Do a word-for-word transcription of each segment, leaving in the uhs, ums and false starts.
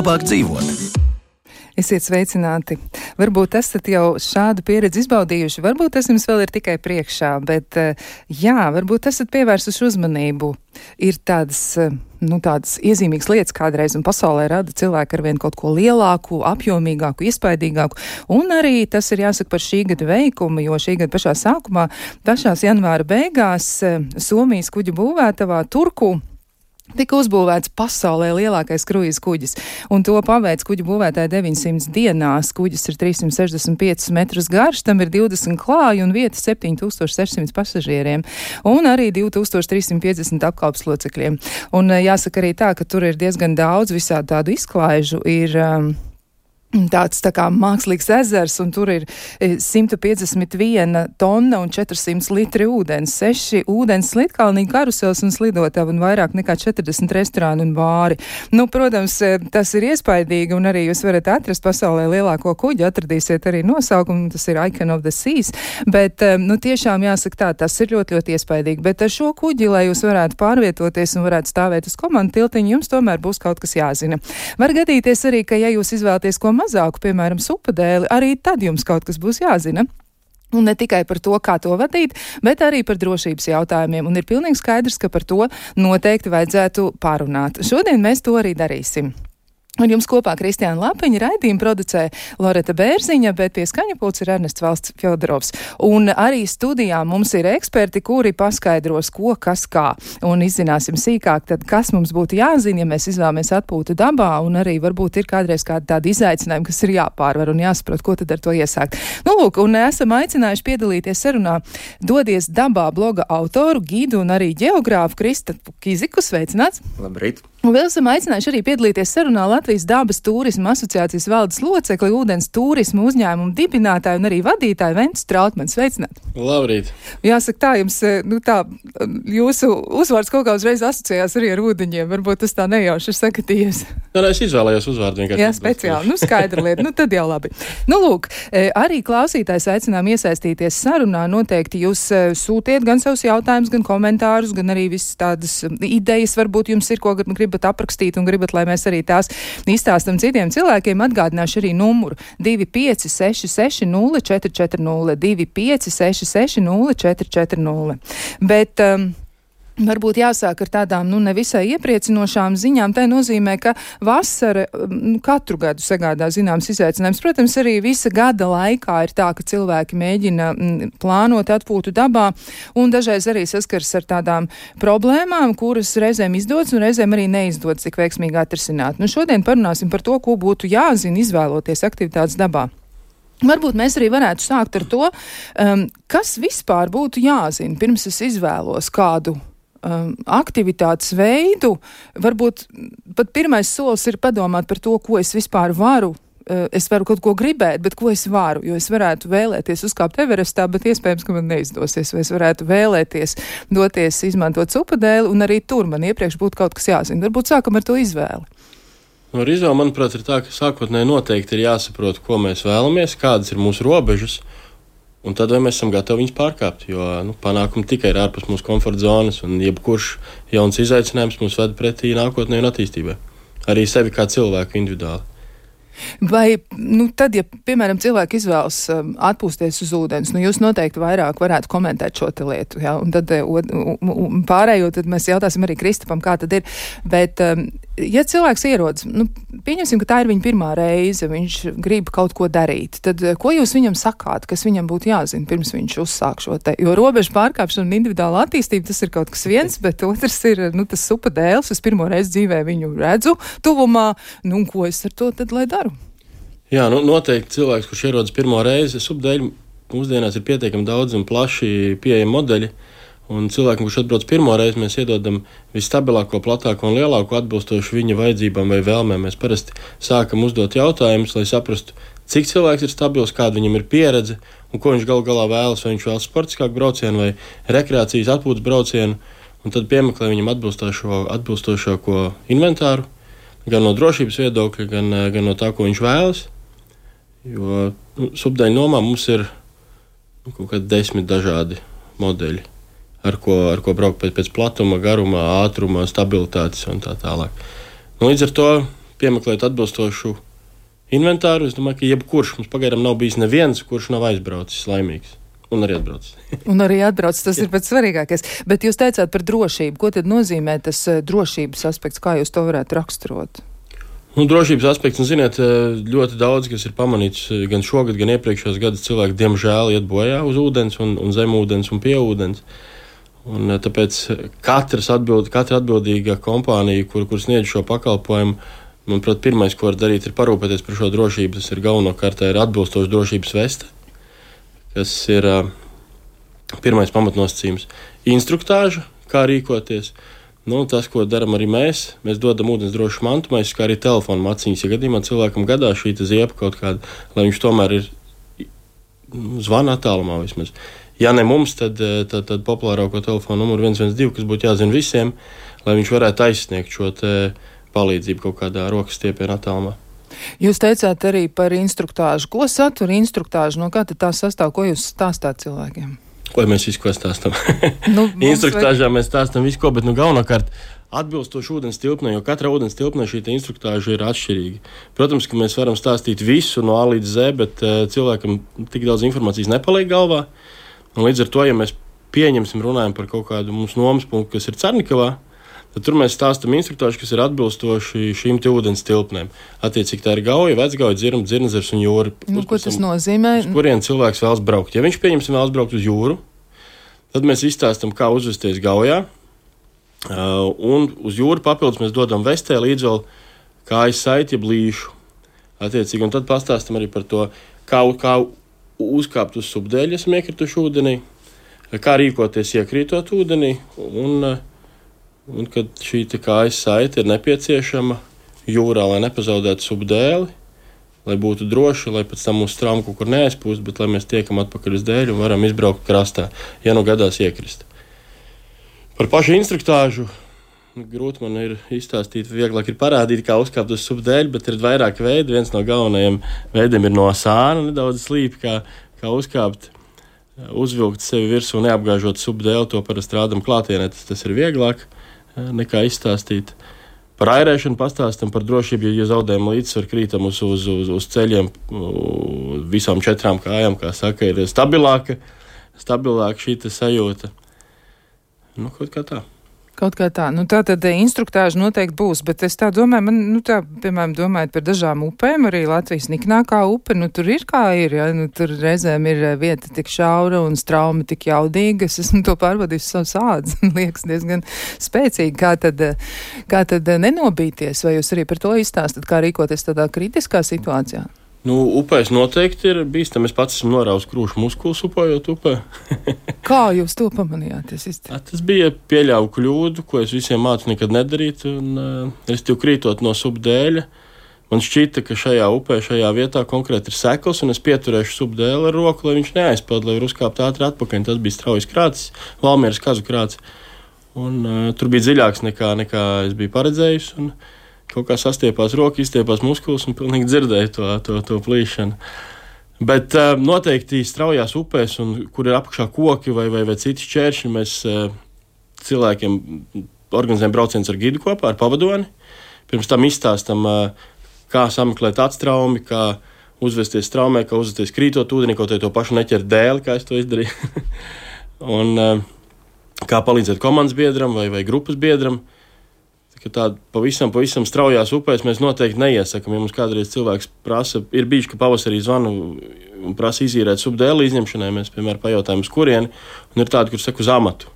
labāk dzīvot. Esiet sveicināti. Varbūt esat jau šādu pieredzi izbaudījuši, varbūt tas jums vēl ir tikai priekšā, bet jā, varbūt esat pievērsuši uzmanību. Ir tādas, nu, tādas iezīmīgas lietas kādreiz, un pasaulē rada cilvēki arvien kaut ko lielāku, apjomīgāku, iespaidīgāku, un arī tas ir jāsaka par šī gada veikumu, jo šī gada pašā sākumā, pašās janvāra beigās, Somijas kuģu būvētavā Turku tika uzbūvēts pasaulē lielākais kruīza kuģis, un to paveic kuģu būvētāji deviņsimt dienās. Kuģis ir trīssimt sešdesmit piecus metrus garš, tam ir divdesmit klāji un vieta septiņi tūkstoši sešsimt pasažieriem, un arī divi tūkstoši trīs simti piecdesmit apkalpes locekļiem. Un jāsaka arī tā, ka tur ir diezgan daudz visādu tādu izklaižu, ir um, tāds tā kā mākslīgs ezers, un tur ir simt piecdesmit viena tonna un četrsimt litri ūdens, seši ūdens slidkalnī, karusels un slidotavi un vairāk nekā četrdesmit restorāni un bāri. Nu, protams, tas ir iespaidīgi, un arī jūs varat atrast pasaulē lielāko kuģi, atradīsiet arī nosaukumu, tas ir Icon of the Seas, bet, nu, tiešām jāsaka tā, tas ir ļoti, ļoti iespaidīgi, bet ar šo kuģi, lai jūs varētu pārvietoties un varētu stāvēt uz komandu tiltiņu, jums tomēr būs kaut kas jāzina. Var gadīties arī, ka ja jūs izvēlaties ko mazāku, piemēram, supadēli, arī tad jums kaut kas būs jāzina. Un ne tikai par to, kā to vadīt, bet arī par drošības jautājumiem. Un ir pilnīgi skaidrs, ka par to noteikti vajadzētu pārunāt. Šodien mēs to arī darīsim. Un jums kopā Kristiāna Lapiņa, raidījumu producē Loreta Bērziņa, bet pie skaņa pults ir Ernests Valsts Fjodorovs. Un arī studijā mums ir eksperti, kuri paskaidros, ko, kas, kā. Un izzināsim sīkāk, tad kas mums būtu jāzina, ja mēs izvēlamies atpūtu dabā, un arī varbūt ir kādreiz kādi tādi izaicinājumi, kas ir jāpārvar un jāsaprot, ko tad ar to iesākt. Nu, lūk, un esam aicinājuši piedalīties sarunā Dodies dabā bloga autoru, gidu un arī ģeogrāfu Kristapu Kiziku. Sveicināts! Labrīt! Un vēl esam aicinājuši arī piedalīties sarunā Latvijas dabas turisma asociācijas valdes locekli, ūdens turisma uzņēmumu dibinātāju un arī vadītāju Ventu Strautmanu. Sveicināt! Labrīt! Jāsaka tā, jums, nu tā, jūsu uzvārds kaut kā uzreiz asociējās arī ar ūdeņiem. Varbūt tas tā nejauši ir sakatījies. Nē, es izvēlējos uzvārdu vienkārši. Jā, speciāli. Nu, skaidra lieta. Nu, tad jau labi. Nu, lūk, arī klausītājs aicinām iesaistīties sarunā. Noteikti jūs sūtiet gan savus jautājumus, gan komentārus, gan arī visas tādas idejas. Varbūt jums ir ko gribat aprakstīt un gribat, lai mēs arī tās izstāstam citiem cilvēkiem. Atgādināšu arī numuru divi pieci seši seši nulle četri četri nulle, divi pieci seši seši nulle četri četri nulle. Bet um, varbūt jāsāk ar tādām, nu, nevisai iepriecinošām ziņām. Tā nozīmē, ka vasara nu, katru gadu sagādā zināms izaicinājums. Protams, arī visa gada laikā ir tā, ka cilvēki mēģina m, plānot atpūtu dabā un dažreiz arī saskars ar tādām problēmām, kuras reizēm izdodas un reizēm arī neizdodas tik veiksmīgi atrisināt. Nu, šodien parunāsim par to, ko būtu jāzina izvēloties aktivitātes dabā. Varbūt mēs arī varētu sākt ar to, um, kas vispār būtu jāzina, pirms es izvēlos kādu Um, aktivitātes veidu. Varbūt pat pirmais solis ir padomāt par to, ko es vispār varu. Uh, es varu kaut ko gribēt, bet ko es varu, jo es varētu vēlēties uzkāpt Everestā, bet iespējams, ka man neizdosies, vai es varētu vēlēties doties izmantot supadēli, un arī tur man iepriekš būtu kaut kas jāzina. Varbūt sākam ar to izvēli. Ar izvēli, manuprāt, ir tā, ka sākotnēji noteikti ir jāsaprot, ko mēs vēlamies, kādas ir mūsu robežas, un tad vai mēs esam gatavi viņus pārkāpt, jo nu, panākumi tikai ir ārpus mūsu komforta zonas, un jebkurš jauns izaicinājums mūs ved pretī nākotnē un attīstībai. Arī sevi kā cilvēku individuāli. Vai, nu, tad, ja, piemēram, cilvēki izvēlas um, atpūsties uz ūdens, nu, jūs noteikti vairāk varētu komentēt šo te lietu, jā, un tad un pārējo, tad mēs jautāsim arī Kristapam, kā tad ir, bet, um, ja cilvēks ierodas, nu, pieņemsim, ka tā ir viņa pirmā reize, viņš grib kaut ko darīt, tad ko jūs viņam sakāt, kas viņam būtu jāzina, pirms viņš uzsāk šo te, jo robežu pārkāpšana un individuāla attīstība, tas ir kaut kas viens, bet otrs ir, nu, tas supadēls, es pirmo reizi dzīvē viņu redzu tuvumā, nu, un ko es ar to tad, lai daru? Jā, nu, noteikti cilvēks, kurš ierodas pirmo reizi, subdēļ mūsdienās ir pietiekami daudz un plaši pieejami modeļi, un cilvēkam, kurš atbrauc pirmo reizi, mēs iedodam visstabilāko, platāko un lielāko atbilstošu viņa vajadzībām vai vēlmēm. Mēs parasti sākam uzdot jautājumus, lai saprastu, cik cilvēks ir stabils, kāda viņam ir pieredze, un ko viņš galu galā vēlas, vai viņš vēlas sportiskāku braucienu vai rekreācijas atpūtas braucienu, un tad piemeklē viņam atbilstošo, atbilstošāko inventāru, gan no drošības viedokļa, gan, gan no tā, ko viņš vēlas. Jo nu, subdēļu nomā mums ir nu, kaut kādi desmit dažādi modeļi, ar ko, ar ko braukt pēc, pēc platuma, garuma, ātruma, stabilitātes un tā tālāk. Nu, līdz ar to piemeklēt atbilstošu inventāru. Es domāju, ka jebkurš mums pagaidām nav bijis neviens, kurš nav aizbraucis laimīgs. Un arī atbraucis. Un arī atbraucis, tas ir pats svarīgākais. Bet jūs teicāt par drošību. Ko tad nozīmē tas drošības aspekts? Kā jūs to varētu raksturot? Nu, drošības aspekts, nu, ziniet, ļoti daudz, kas ir pamanīts gan šogad, gan iepriekšējos gadus, cilvēki diemžēl iet bojā uz ūdens un, un zem ūdens un pie ūdens. Un tāpēc katrs atbild, katra atbildīga kompānija, kur, kur sniedz šo pakalpojumu, manuprāt, pirmais, ko var darīt, ir parūpēties par šo drošību. Tas ir galvenokārt ir atbilstoša drošības veste, kas ir uh, pirmais pamatnosacījums. Instruktāža, kā rīkoties. Nu, tas, ko darām arī mēs, mēs dodam ūdens drošu mantu, mēs kā arī telefonu maciņas. Ja gadījumā cilvēkam gadās šī ziepa kaut kāda, lai viņš tomēr ir zvana attālumā vismaz. Ja ne mums, tad, tad, tad populārāko telefonu numuru viens viens divi, kas būtu jāzina visiem, lai viņš varētu aizsniegt šo palīdzību kaut kādā rokas stiepienā attālumā. Jūs teicāt arī par instruktāžu. Ko satur instruktāžu? No kā tad tā sastāv? Ko jūs stāstāt cilvēkiem? Ko mēs visu ko stāstam? Nu, instruktāžā vai... mēs stāstam visu ko, bet nu galvenokārt atbilstoši ūdens tilpnē, jo katra ūdens tilpnē šī instruktāža ir atšķirīga. Protams, ka mēs varam stāstīt visu no A līdz Z, bet uh, cilvēkam tik daudz informācijas nepaliek galvā. Un līdz ar to, ja mēs pieņemsim, runājam par kaut kādu mums nomas punktu, kas ir Cernikavā, tad tur mēs stāstam instruktāžu, kas ir atbilstoši šīm te ūdens tilpnēm. Attiecīgi tā ir Gauja, Vecgauja, Dzirma, Dzirnezers un Jūra. Nu, ko tas nozīmē? Uz kurien cilvēks vēlas braukt. Ja viņš pieņemsim vēlas braukt uz Jūru, tad mēs izstāstam, kā uzvesties Gaujā. Uh, un uz Jūru papildus mēs dodam vestē līdz vēl kājas saiti, jeb līšu. Attiecīgi, un tad pastāstam arī par to, kā, kā uzkāpt uz subdēļu, esam iekrituši ūdenī, kā rīkoties iekrītot ūdenī, un, un kad šī kājas saite ir nepieciešama jūrā, lai nepazaudētu subdēli, lai būtu droši, lai pēc tam mūsu trauma kaut kur neaizpūst, bet lai mēs tiekam atpakaļ uz dēļu un varam izbraukt krastā, ja nu gadās iekrist. Par pašu instruktāžu grūti man ir izstāstīt, vieglāk ir parādīt, kā uzkāpt uz subdēļu, bet ir vairāk veidi. Viens no galvenajiem veidiem ir no sāna, nedaudz slīpi, kā, kā uzkāpt, uzvilkt sevi virsū, neapgāžot subdēli. To parasti rādam klātienē, tas, tas ir vieglāk nekā izstāstīt. Par airēšanu pastāstam, par drošību, ja zaudējam līdzsvaru, krītam uz, uz, uz, uz ceļiem, uz visām četrām kājām, kā saka, ir stabilāka, stabilāka šī sajūta. Nu, kaut kā tā. Kaut kā tā. Nu, tā tad instruktāža noteikti būs, bet es tā domāju, man, nu tā, piemēram, domājot par dažām upēm, arī Latvijas niknākā upe, nu tur ir kā ir, ja, nu tur reizēm ir vieta tik šaura un straumi tik jaudīga, es esmu to pārvadījis savus ādus, liekas diezgan spēcīgi, kā tad, kā tad nenobīties, vai jūs arī par to izstāstat, kā rīkoties tādā kritiskā situācijā? Nu, upēs noteikti ir bīstami. Es pats esmu norāvis krūšu muskulus upējot upē. Kā jūs to pamanījāt? Tas bija pieļauju kļūdu, ko es visiem mācu nekad nedarīt. Un, uh, es tev krītot no subdēļa. Man šķita, ka šajā upē, šajā vietā konkrēti ir sekls, un es pieturēšu subdēli ar roku, lai viņš neaizpeld, lai var uzkāpt ātri atpakaļ. Tas bija straujas krācis, Valmieras kazu krācis. Un uh, tur bija dziļāks nekā, nekā es biju paredzējis. Un, kaut kā sastiepās roka, izstiepās muskulis un pilnīgi dzirdēja to, to, to plīšanu. Bet uh, noteikti straujās upēs, un, kur ir apakšā koki vai, vai, vai citi šķēršļi, mēs uh, cilvēkiem organizējam braucienus ar gidu kopā, ar pavadoni. Pirms tam izstāstam, uh, kā sameklēt atstraumi, kā uzvesties straumē, kā uzvesties krītot ūdenī, kaut arī to pašu neķert dēli, kā es to izdarīju. un uh, kā palīdzēt komandas biedram vai, vai grupas biedram. Ka tādu pavisam, pavisam straujās upēs mēs noteikti neiesakam. Ja mums kādreiz cilvēks prasa, ir bijuši, ka pavasarī zvanu un prasa izīrēt subdēli izņemšanai, mēs, piemēram, pajautājam, uz kurieni, un ir tādi, kur saka uz amatu.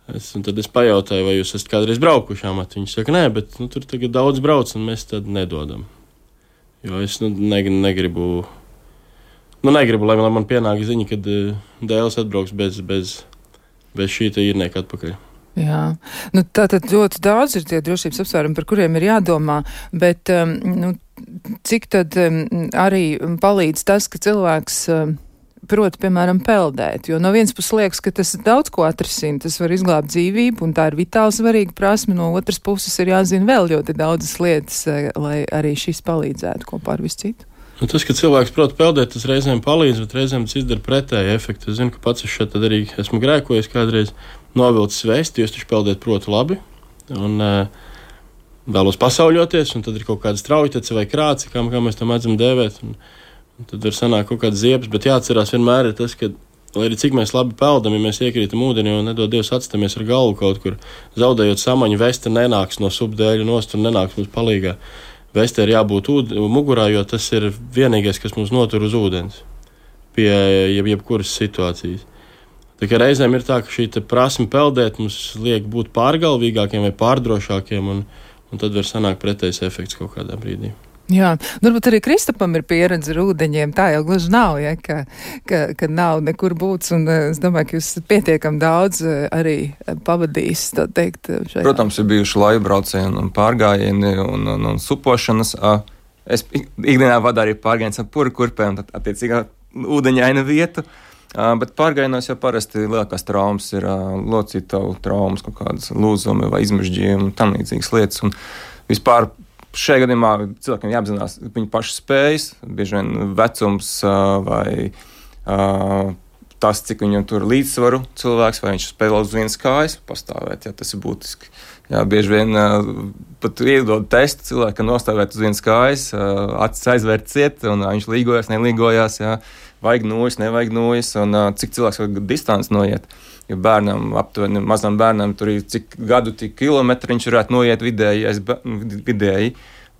Es, un tad es pajautāju, vai jūs esat kādreiz braukuši amatu. Viņi saka, nē, bet nu, tur tagad daudz brauc, un mēs tad nedodam. Jo es nu, ne, negribu, nu, negribu, lai, lai man pienāk ziņa, kad uh, dēls atbrauks bez, bez, bez šī te īrnieka atpakaļ. Jā, nu tātad ļoti daudz ir tie drošības apsvērumi, par kuriem ir jādomā, bet um, nu, cik tad um, arī palīdz tas, ka cilvēks um, prot, piemēram, peldēt, jo no vienas puses liekas, ka tas daudz ko atrisina, tas var izglābt dzīvību, un tā ir vitāli svarīga prasme, no otras puses ir jāzina vēl ļoti daudzas lietas, lai arī šis palīdzētu kopā ar visu citu. Nu, tas, ka cilvēks prot peldēt, tas reizēm palīdz, bet reizēm tas izdara pretēju efektu. Es zinu, ka pats es šeit arī esmu grēkojis kādreiz novilcis vēsti, jo es taču peldēt protu labi. Un, vēlos pasauļoties, un tad ir kaut kāda straujtece vai krāci, kā, kā mēs tam mēdzam dēvēt. Un, un tad var sanākt kaut kādas ziepes, bet jāatcerās vienmēr ir tas, ka, lai arī cik mēs labi peldam, ja mēs iekrītam ūdenī un nedod Dievs atstamies ar galvu kaut kur, zaudējot samaņu, veste nenāks no subdēļa nost un nenāks mums palīgā. Veste ir jābūt ūd, mugurā, jo tas ir vienīgais, kas mums notur uz ūdens pie jeb, jebkuras situācijas. Tā kā reizēm ir tā, ka šī prasme peldēt mums liek būt pārgalvīgākiem vai pārdrošākiem, un, un tad var sanākt pretējs efekts kaut kādā brīdī. Jā, varbūt arī Kristapam ir pieredze ar ūdeņiem, tā jau gluži nav, ja, ka, ka, ka nav nekur būts, un es domāju, ka jūs pietiekam daudz arī pavadījis, tā teikt. Šajā. Protams, ir bijuši laibraucieni un pārgājieni un, un, un supošanas. Es ikdienā vadu arī pārgājienus ar pura kurpēm, tad attiecīgā ūdeņaina vietu. Uh, bet pārgājienos jau parasti lielākās traumas ir uh, locītavu traumas, kaut kādas lūzumi vai izmežģījumi un tam līdzīgas lietas. Un vispār šajā gadījumā cilvēkiem jāapzinās viņu pašu spējas, bieži vien vecums uh, vai uh, tas, cik viņam tur līdzsvaru cilvēks, vai viņš spēlē uz vienas kājas, pastāvēt, jā, tas ir būtiski. Jā, bieži vien uh, pat iedod testu cilvēkam nostāvēt uz vienas kājas, uh, acis aizvērt ciet, un uh, viņš līgojās, nelīgojās, jā. Vajag nojas, nevajag nojas, un uh, cik cilvēks var distanci noiet. Jo bērnam, aptuveni mazam bērnam, tur ir cik gadu, tik kilometri viņš varētu noiet vidēji, vidēji.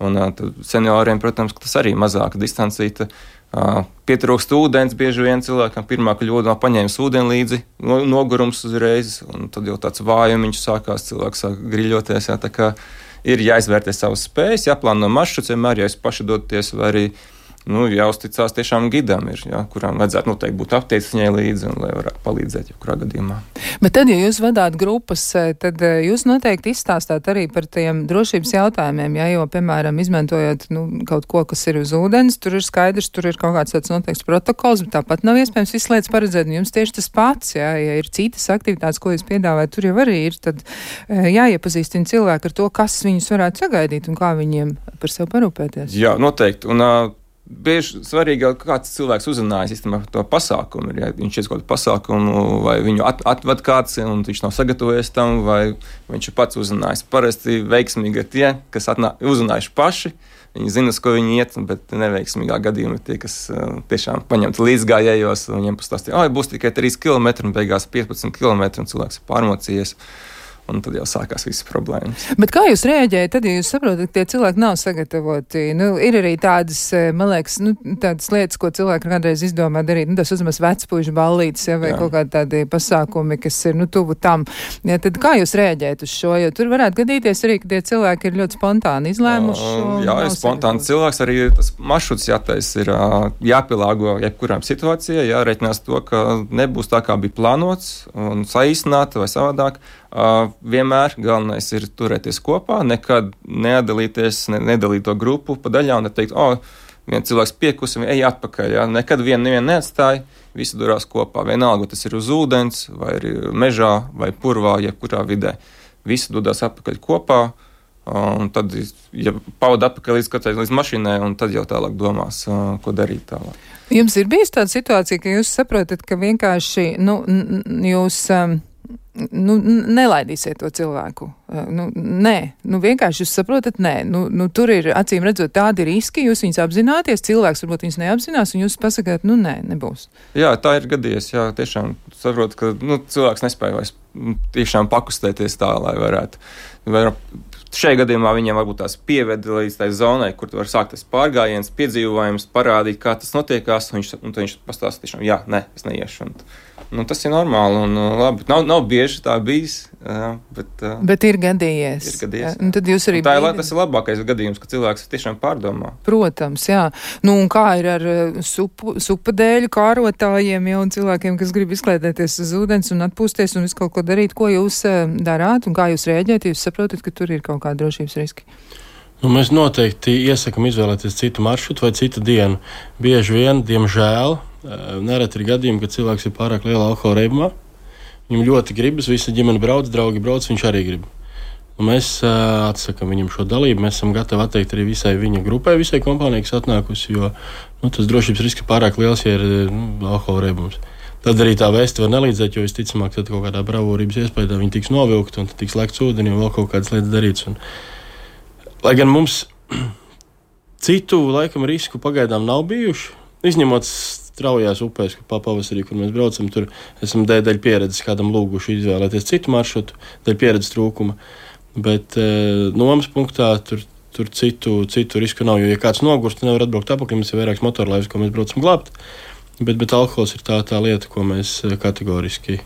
Un uh, senioriem, protams, tas arī mazāka distancīta. Uh, pietrūkst ūdens, bieži vien cilvēkam pirmā kļūda paņēmis ūdeni līdzi, no, nogurums uzreiz, un tad jau tāds vājumiņš sākās, cilvēks sāk griļoties, jā, tā kā ir jāizvērtē savas spējas, jāplāno maršruts, vienmēr, ja jūs paši doties, vai arī nu, jāuzticās tiešām gidam, ir, jā, kurām vajadzētu noteikti būt apteicis viņai līdzi, un lai varētu palīdzēt jebkurā gadījumā. Bet tad, ja jūs vadāt grupas, tad jūs noteikti izstāstāt arī par tiem drošības jautājumiem, jā, jo, piemēram, izmantojot nu, kaut ko, kas ir uz ūdens, tur ir skaidrs, tur ir kaut kāds tāds noteikts protokols, bet tāpat nav iespējams visu lietas paredzēt, un jums tieši tas pats, jā, ja ir citas aktivitātes, ko jūs piedāvājat, tur jau arī ir, tad jāiepazīstina cilvēki ar to, kas viņus varētu sagaidīt un kā viņiem par sevi parūpēties. Jā, noteikti, un uh, bieži svarīgi, kāds cilvēks uzzinājis īstenībā to pasākumu. Ja viņš ir kaut kādu pasākumu, vai viņu at, atved kāds, un viņš nav sagatavojies tam, vai viņš ir pats uzzinājis. Parasti veiksmīgi ir tie, kas atnā, uzzinājuši paši, viņi zina, uz ko viņi iet, bet neveiksmīgā gadījumā ir tie, kas uh, tiešām paņemt līdzgājējos, un viņiem pastāstīja, oi, būs tikai trīs kilometri, un beigās piecpadsmit kilometri, un cilvēks ir pārmocījies. Un tad jau sākās visas problēmas. Bet kā jūs reaģējat, tad, ja jūs saprotat, ka tie cilvēki nav sagatavoti? Nu, ir arī tādas, man liekas, nu, tādas lietas, ko cilvēki kādreiz izdomā darīt. Nu, tas uzmaz vecpuišu ballītes, ja, vai jā. Kaut kādi tādi pasākumi, kas ir, nu, tuvu tam. Ja, tad kā jūs reaģējat uz šo? Jo tur varētu gadīties arī, ka tie cilvēki ir ļoti spontāni izlēmuši. Uh, jā, ir spontāni cilvēks. Arī tas maršruts jātais ir jāpielāgo jebkurām situācijai, jāreikinās to, ka nebūs tā, kā bija plānots un saīsināt vai savādāk. Uh, vienmēr galvenais ir turēties kopā, nekad neatdalīties, ne, nedalīt to grupu pa daļām un neteikt, o, oh, viens cilvēks piekusi, ej atpakaļ, jā. Nekad vienu nevienu neatstāja, visi durās kopā, vienalga, tas ir uz ūdens, vai arī mežā, vai purvā, jebkurā vidē. Visi dodās atpakaļ kopā, un tad, ja pavada atpakaļ līdz katrai līdz mašīnai, un tad jau tālāk domās, uh, ko darīt tālāk. Jums ir bijis tāda situācija, ka jūs saprotat, ka vienkārši, nu, jūs... Um, Nu, nelaidīsiet to cilvēku. Nu, nē, nu, vienkārši jūs saprotat, nē. Nu, nu, tur ir, acīm redzot, tādi riski, jūs viņus apzināties, cilvēks varbūt viņus neapzinās, un jūs pasakāt, nu, nē, nebūs. Jā, tā ir gadījies, jā, tiešām saprot, ka, nu, cilvēks nespēja vairs tiešām pakustēties tā, lai varētu. Var, šajā gadījumā viņiem varbūt tās pieved līdz tai zonai, kur tu var sākt tas pārgājiens, piedzīvojums, parādīt, kā tas notiekās, un viņš, un viņš pastāsta tiešām, jā, nē, es neiešu. Un, nu, tas ir normāli un labi. Nav, nav bieži tā bijis, jā, bet... Bet ir gadījies. Ir gadījies, jā. Tad jūs arī... Tā ir, tas ir labākais gadījums, ka cilvēks tiešām pārdomā. Protams, jā. Nu, un kā ir ar supu, supadēļu kārotājiem, jau un cilvēkiem, kas grib izklēdēties uz ūdens un atpūsties un visu kaut ko darīt, ko jūs darāt un kā jūs rēģējat, jūs saprotat, ka tur ir kaut kādi drošības riski? Nu, mēs noteikti iesakam izvēlēties citu maršrutu vai citu dienu. Bieži vien, diemžēl, nereti ir gadījumi, kad cilvēks ir pārāk lielā alkohola reibumā. Viņam ļoti gribas, visa ģimene brauc, draugi brauc, viņš arī grib. Un mēs uh, atsakam viņam šo dalību, mēs esam gatavi atteikt arī visai viņa grupai, visai kompānijai, kas atnākusi, jo nu, tas drošības risks pārāk liels, ja ir nu, alkohola reibums. Tad arī tā vēsti var nelīdzēt, jo visticamāk, tad kaut kādā bravūrības iespējā viņi tiks novilkti un tad tiks lekts ūdeni un vēl kaut kādas lietas darīts. Un lai gan mums citu laikam risku pagaidām nav bijuši, izņemot straujās upēs, kur pavasarī, kur mēs braucam, tur esam dēļ, dēļ pieredzes kādam lūguši izvēlēties citu maršrutu, dēļ pieredzes trūkuma, bet e, nomas punktā tur, tur citu, citu risku nav, jo, ja kāds nogurst, nevar atbraukt apakaļ, mums ir vairāks motorlaivs, ko mēs braucam glābt, bet, bet alkohols ir tā, tā lieta, ko mēs kategoriski,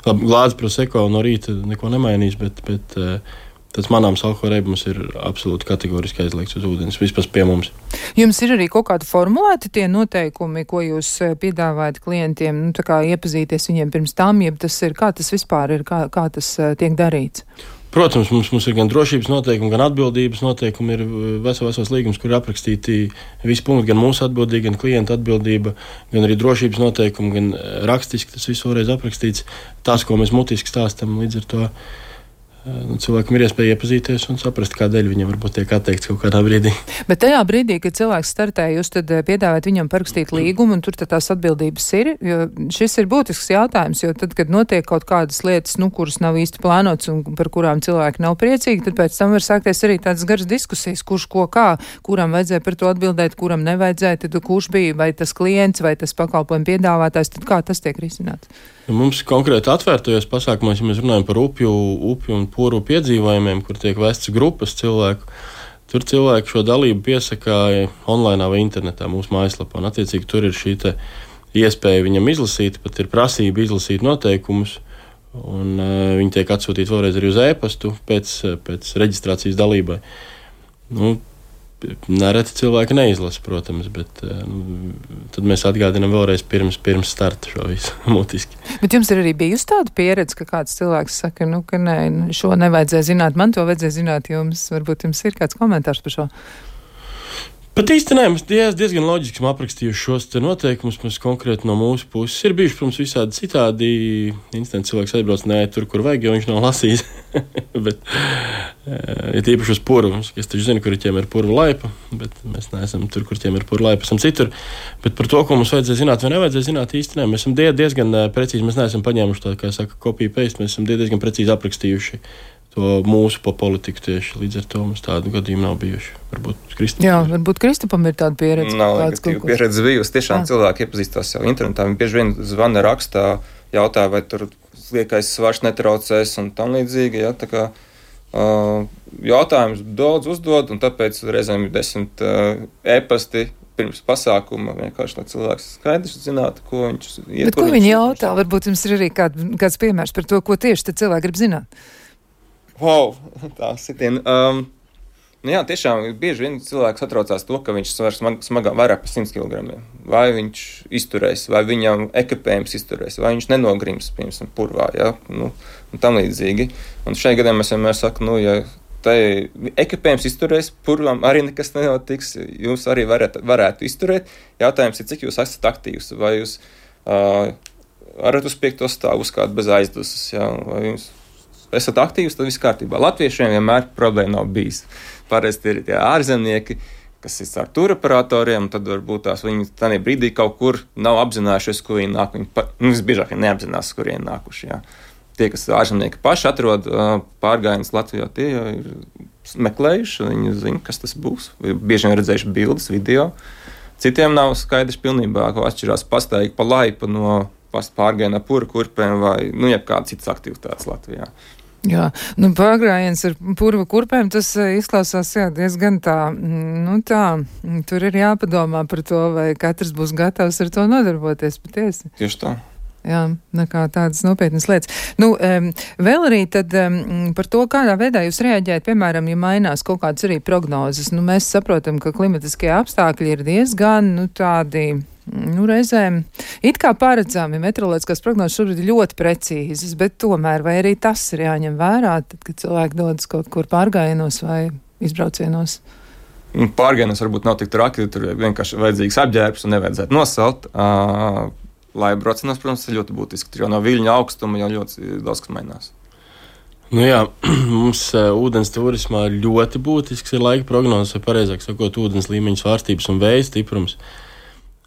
labi, glāds proseko no rīta neko nemainīs, bet, bet tas manāms alkohola reibums ir absolūti kategoriski aizliegts uz ūdens, vispār pie mums. Jums ir arī kaut kādi formulēti tie noteikumi, ko jūs piedāvājat klientiem, nu, tā kā iepazīties viņiem pirms tam, jeb tas ir, kā tas vispār ir, kā, kā tas tiek darīts? Protams, mums, mums ir gan drošības noteikumi, gan atbildības noteikumi, ir vesels, vesels līgums, kur ir aprakstīti visi punkti, gan mūsu atbildība, gan klienta atbildība, gan arī drošības noteikumi, gan rakstiski tas viss vēlreiz aprakstīts. Tas, ko mēs mutiski stāstam, līdz ar to nu, cilvēkam ir iespēja iepazīties un saprast, kādēļ viņam varbūt tiek atteikts kaut kādā brīdī. Bet tajā brīdī, kad cilvēks startē, jūs tad piedāvājat viņam parakstīt līgumu, un tur tad tās atbildības ir, jo šis ir būtisks jautājums, jo tad, kad notiek kaut kādas lietas, nu, kuras nav īsti plānotas un par kurām cilvēki nav priecīgi, tad pēc tam var sākties arī tādas garas diskusijas, kurš ko kā, kuram vajadzēja par to atbildēt, kuram nevajadzēja, tad kurš bija, vai tas klients, vai tas pakalpojumu piedāvātājs, tad kā tas tiek risināts? Mums konkrēti atvērtajos pasākumos, ja mēs runājam par upju, upju un puru piedzīvojumiem, kur tiek vestas grupas cilvēku, tur cilvēki šo dalību piesakā online vai internetā mūsu mājaslapā. Un attiecīgi tur ir šī te iespēja viņam izlasīt, pat ir prasība izlasīt noteikumus, un uh, viņi tiek atsūtīti vēlreiz arī uz e-pastu pēc, pēc reģistrācijas dalībai. Nu, nereti cilvēki neizlasa, protams, bet nu, tad mēs atgādinām vēlreiz pirms, pirms starta šo visu mutiski. Bet jums ir arī bijusi tāda pieredze, ka kāds cilvēks saka, nu, ka nē, šo nevajadzēja zināt, man to vajadzēja zināt, jums varbūt jums ir kāds komentārs par šo? Pat īsti nē, mēs diez, diezgan loģiski esam aprakstījuši šos te noteikumus, mēs konkrēti no mūsu puses. Ir bijuši, protams, visādi citādi instanti cilvēks aizbrauc, nē, tur, kur vajag, jo viņš nav lasījis. Bet ir ja īpaši uz puru. Es taču zinu, kur ir ķēmera purva laipa, bet mēs neesam tur, kur ķēmera purva laipa, esam citur. Bet par to, ko mums vajadzēja zināt vai nevajadzēja zināt, īsti nē. Mēs esam diezgan precīzi, mēs neesam paņēmuši tā, kā saka, copy-paste, mēs esam diezgan precīzi aprakstījuši to mūsu pa politiku tieši. Līdz ar to mums tādu gadījumu nav bijuši. Varbūt Kristupam. Jā, varbūt Kristupam ir tāda pieredze. Nav negatīva pieredze bijusi. Tiešām jā. Cilvēki iepazīstās jau internetā. Viņi bieži vien zvana rakstā, jautā, vai tur liekais svars netraucēs un tam līdzīgi. Jā, tā kā uh, jautājums daudz uzdod, un tāpēc reizēm ir desmit uh, e-pasti pirms pasākuma, vienkārši lai cilvēks skaidrs zinātu, ko viņš iet. Bet ko viņi jautā? Varbūt jums ir arī kād, kāds piemērs par to, ko tieši te cilvēki grib zināt. Wow, tā sitien. Um, nu jā, tiešām bieži vien cilvēks atraucās to, ka viņš svars smag, smagā vairāk par simt kilogramiem. Vai viņš izturēs, vai viņam ekipējums izturēs, vai viņš nenogrims, piemēram, purvā, jā, nu, un tam līdzīgi. Un šajā gadā mēs vienmēr sakam, nu, ja tai ekipējums izturēs, purvam arī nekas nenotiks, jūs arī varat, varētu izturēt. Jautājums ir, cik jūs esat aktīvs, vai jūs uh, varat uz piekto stāvu uzkāpt bez aizdusas, jā, vai jums esat aktīvs, tad viss kārtībā. Latviešiem vienmēr problēma nav bijis. Parasti ir tie ārzemnieki, kas ir ar tūroperatoriem, tad varbūt tās viņi tādā brīdī kaut kur nav apzinājušies, kur viņi nāk. Viņi pa, nu, visbiežāk neapzinās, kur viņi nākuši. Jā. Tie, kas ārzemnieki paši atrod pārgājienus Latvijā, tie jau ir meklējuši, viņi zina, kas tas būs. Bieži vien redzējuši bildes, video. Citiem nav skaidrs pilnībā, ko atšķirās pastaigi pa laipu no pārgājienā pura kurpēm vai, nu, jebkādas citas aktivitātes Latvijā. Jā, nu pārgājiens ar purva kurpēm, tas izklausās, jā, diezgan tā, nu tā, tur ir jāpadomā par to, vai katrs būs gatavs ar to nodarboties patiesi. Tieši tā. Jā, nekā tādas nopietnas lietas. Nu, um, vēl arī tad um, par to, kādā veidā jūs reaģējat, piemēram, ja mainās kaut kādas arī prognozes. Nu, mēs saprotam, ka klimatiskie apstākļi ir diezgan, nu, tādi, nu, reizēm it kā paredzami. Meteoroloģiskās prognozes šobrīd ir ļoti precīzas, bet tomēr vai arī tas ir jāņem vērā, tad, kad cilvēki dodas kaut kur pārgājienos vai izbraucienos? Pārgājienos varbūt nav tik traki, tur vienkārši vajadzīgs apģērbs un nevajadzētu nosalt. Uh, Lai braucienos, protams, ir ļoti būtiski, tur jau no viļņa augstuma jau ļoti daudz kas mainās. Nu jā, mums uh, ūdens turismā ļoti būtisks ir laika prognozes, vai pareizāk sakot, ūdens līmeņa svārstības un vēja stiprums.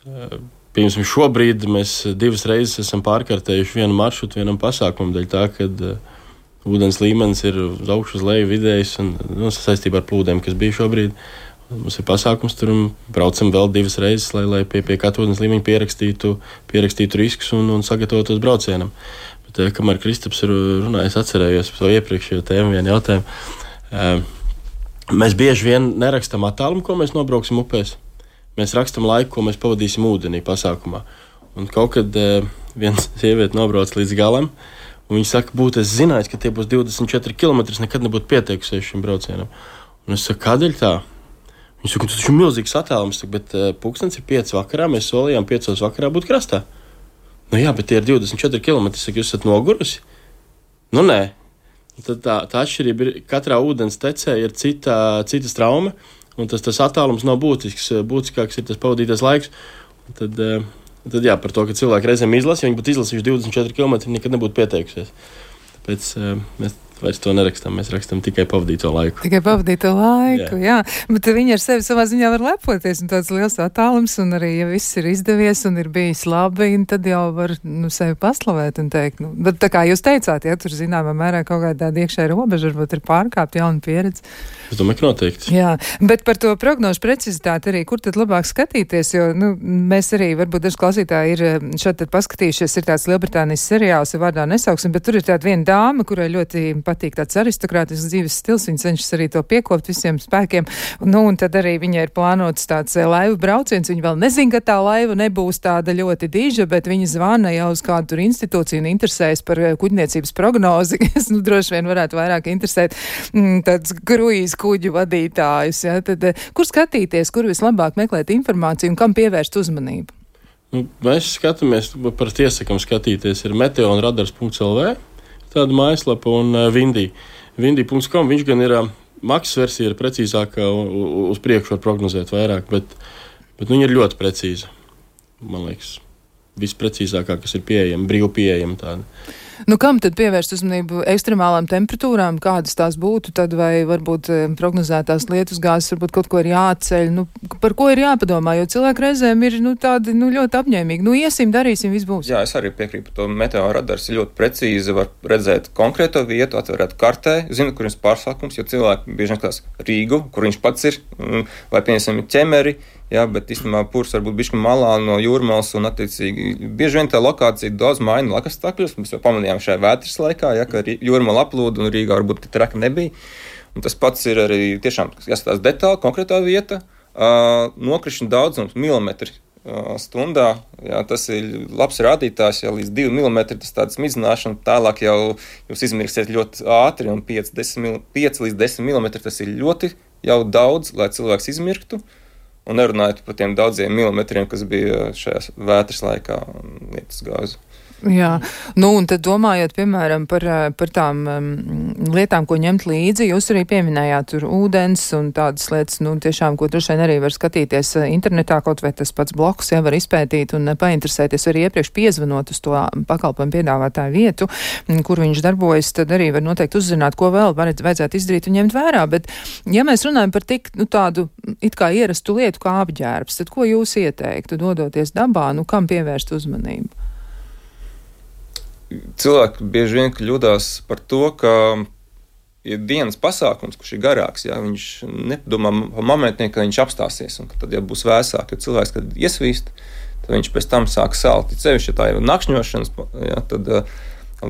Uh, Piemēram, šobrīd mēs divas reizes esam pārkārtējuši vienu maršrutu vienam pasākumam, dēļ tā, kad uh, ūdens līmenis ir uz augšu, uz leju vidējs un nu, saistībā ar plūdiem, kas bija šobrīd. Mums ir pasākums, tur braucam vēl divas reizes, lai, lai pie, pie katra ūdens līmeņa pierakstītu, pierakstītu riskus un, un sagatavotos braucienam. Bet, kamēr Kristaps ir runājis, atcerējos par to iepriekšējo tēmu, vienu jautājumu. Mēs bieži vien nerakstam attālumu, ko mēs nobrauksim upēs. Mēs rakstam laiku, ko mēs pavadīsim ūdenī pasākumā. Un kaut kad viens sieviete nobrauc līdz galam, un viņa saka, būtu es zinājis, ka tie būs divdesmit četri kilometri, nekad nebūtu pieteikusies šim braucienam. Un es saku, kādēļ tā? Viņš saka, tas ir milzīgs attālums, bet uh, pulkstens ir pieci vakarā, mēs solījām piecos vakarā būt krastā. Nu jā, bet tie ir divdesmit četri kilometri, saka, jūs esat nogurusi? Nu nē. Tad tā, tā atšķirība ir, katrā ūdens tecē ir cita, cita trauma, un tas, tas attālums nav būtisks, būtiskāks ir tas pavadītais laiks. Un tad, uh, tad jā, par to, ka cilvēki reizēm izlasa, ja viņi būtu izlasījuši divdesmit četri kilometri, nekad nebūtu pieteikusies. Tāpēc uh, mēs vairs to nerakstam, mēs rakstam tikai pavadīto laiku. Tikai pavadīto laiku, jā. jā. Bet viņi ar sevi savā ziņā var lepoties, un tāds liels attālums, un arī, ja viss ir izdevies un ir bijis labi, tad jau var nu, sevi paslavēt un teikt. Nu, bet tā kā jūs teicāt, ja tur zināmā mērā kaut kāda tāda iekšēja robeža, varbūt ir pārkāpt jauna pieredze. Es domāju, ka noteikti. Jā, bet par to prognožu precizitāti arī, kur tad labāk skatīties, jo nu, mēs arī, varbūt daži klausītāji ir šeit tad paskatījušies, ir tāds Lielbritānijas seriāls, ja vārdā nesauksim, bet tur ir tāda viena dāma, kurai ļoti patīk tāds aristokrātisks dzīves stils, viņa cenšas arī to piekopt visiem spēkiem, nu, un tad arī viņai ir plānots tāds laivu brauciens, viņa vēl nezin, ka tā laiva nebūs tāda ļoti diža, bet viņa zvana jau uz kādu tur institūciju un interesējas par kuģniecības prognozi, kas, nu, droši vien varētu vairāk interesēt mm, tāds kruīz kuģu vadītājus, ja, tad kur skatīties, kur vislabāk meklēt informāciju un kam pievērst uzmanību? Nu, mēs skatāmies, par tiesakam skatīties, ir meteonradars punkts el vē, tāda mājaslapa un uh, Vindī. Vindī punkts com, viņš gan ir uh, maksas versija, ir precīzāka, uz priekšu var prognozēt vairāk, bet, bet nu, viņa ir ļoti precīza. Man liekas, visprecīzākā, kas ir pieejama, brīvi pieejama tāda. Nu, kam tad pievērst uzmanību ekstremālām temperatūrām, kādas tās būtu, tad vai varbūt prognozētās lietus gāzes, varbūt kaut ko ir jāceļ, nu, par ko ir jāpadomā, jo cilvēki reizēm ir, nu, tādi, nu, ļoti apņēmīgi, nu, iesim, darīsim, viss būs. Jā, es arī piekrītu, to meteoradars ir ļoti precīzi, var redzēt konkrēto vietu, atverēt kartē, zinu, kur ir pārsākums, jo cilvēki bieži nekās Rīgu, kur viņš pats ir, vai, pieņemsim, ķemeri, jā, bet īstenībā purs var būt bišķi malā no jūrmals un attiecīgi bieži vien tā lokācija daudz maina lakastakļus. Mēs jau pamanījām šajā vētras laikā, ja, ka jūrmala aplūda un Rīgā varbūt traki nebija. Un tas pats ir arī tiešām jāskatās detāli, konkrētā vieta, uh, nokrišņu daudzums milimetri uh, stundā. Jā, tas ir labs rādītājs, ja līdz divi milimetri tas tāds midzināšana, tālāk jau jūs izmirksiet ļoti ātri un pieci līdz desmit milimetri tas ir ļoti jau daudz, lai cilvēks izmirktu. Un nerunājot par tiem daudziem milimetriem, kas bija šajā vētras laikā un lietus gāzu. Jā, nu un tad domājot, piemēram, par, par tām um, lietām, ko ņemt līdzi, jūs arī pieminējāt tur ūdens un tādas lietas, nu tiešām, ko droši vien arī var skatīties internetā, kaut vai tas pats bloks, ja var izpētīt un painteresēties arī iepriekš piezvanot uz to pakalpojumu piedāvātāju vietu, kur viņš darbojas, tad arī var noteikti uzzināt, ko vēl varat, vajadzētu izdarīt un ņemt vērā, bet ja mēs runājam par tik, nu tādu it kā ierastu lietu kā apģērbs, tad ko jūs ieteiktu, dodoties dabā, nu kam pievērst uzmanību? Cilvēki bieži vien kļūdās par to, ka ir dienas pasākums, kurš ir garāks, ja, viņš nedomā momentiem, ka viņš apstāsies, un ka tad jau būs vēsāk, jo cilvēks, kad iesvīst, tad viņš pēc tam sāk salt. Cevišķi, ja tā ir nakšņošanas, ja, tad uh,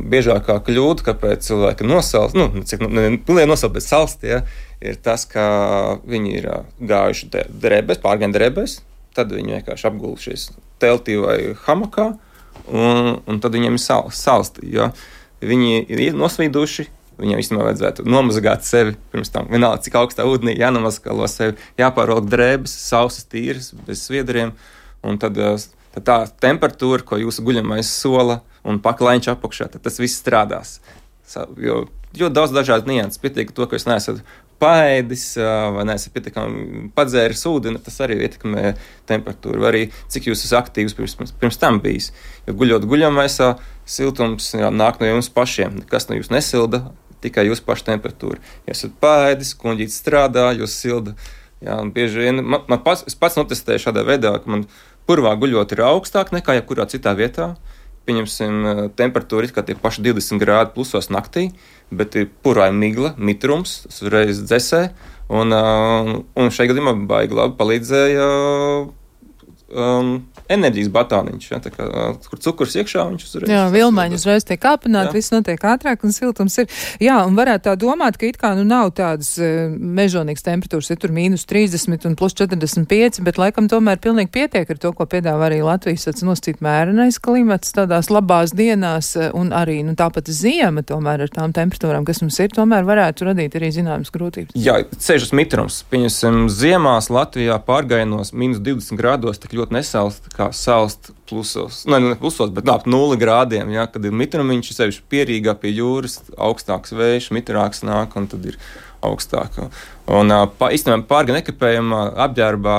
biežākā kļūda, kāpēc cilvēki nosalst, nu, cik ne, ne nosalt, bet salst, ja, ir tas, ka viņi ir uh, gājuši drēbēs, pārgājuši drēbēs, tad viņi vienkārši apgulušies teltī vai hamakā, Un, un tad viņiem ir sal, salsti, jo viņi ir nosvīduši, viņiem īstenībā vajadzētu nomazgāt sevi pirms tam. Vienalga, cik augstā ūdenī jānomazgalo sevi, jāpārvalk drēbes, sausas tīras, bez sviedriem, un tad, tad tā temperatūra, ko jūsu guļamais sola un paklaiņš apakšā, tad tas viss strādās. Jo ļoti daudz dažādu nianses, pietiek to, ka jūs neesat paēdis vai neesat pietiekami padzēris ūdeni, tas arī ietekmē temperatūru, vai arī cik jūs esat aktīvs pirms, pirms tam bijis. Jo guļot guļamaisā, siltums jā, nāk no jums pašiem, nekas no jūs nesilda, tikai jūsu paša temperatūra. Ja esat paēdis, kuņģītis strādā, jūs silda. Jā, un bieži vien, man, man pats, es pats notestēju šādā veidā, ka man purvā guļot ir augstāk nekā jebkurā citā vietā. pieņemsim, temperatūra it kā tie paši divdesmit grādi plusos naktī, bet ir purāja migla, mitrums, tas uzreiz dzesē, un, un šajā gadījumā baigi labi palīdzēja um, enerģijas batāniņš, ja, tā kā, kur cukurs iekšā, viņš uzreiz... Jā, vilmaiņi uzreiz tiek kāpināti, viss notiek ātrāk un siltums ir. Jā, un varētu tā domāt, ka it kā nu nav tādas uh, mežonīgas temperatūras, ir tur mīnus trīsdesmit un plus četrdesmit pieci, bet laikam tomēr pilnīgi pietiek ar to, ko piedāvā arī Latvijas tāds nosacīt mērenais klimats tādās labās dienās, un arī, nu tāpat ziema tomēr ar tām temperatūrām, kas mums ir, tomēr varētu radīt arī zināmas grūtības. Jā, ceļš uz mitrums. Pieņemsim, ziemās Latvijā pārgājienos mīnus divdesmit grādos tik ļoti nesalst, kā salst plusos, ne, ne plusos, bet ap nulli grādiem, ja, kad ir mitrumiņš, sevišķi Pierīgā pie jūras, augstāks vējš, mitrāks nāk, un tad ir augstāk. Un pa, īstenībā pārga nekapējumā apģērbā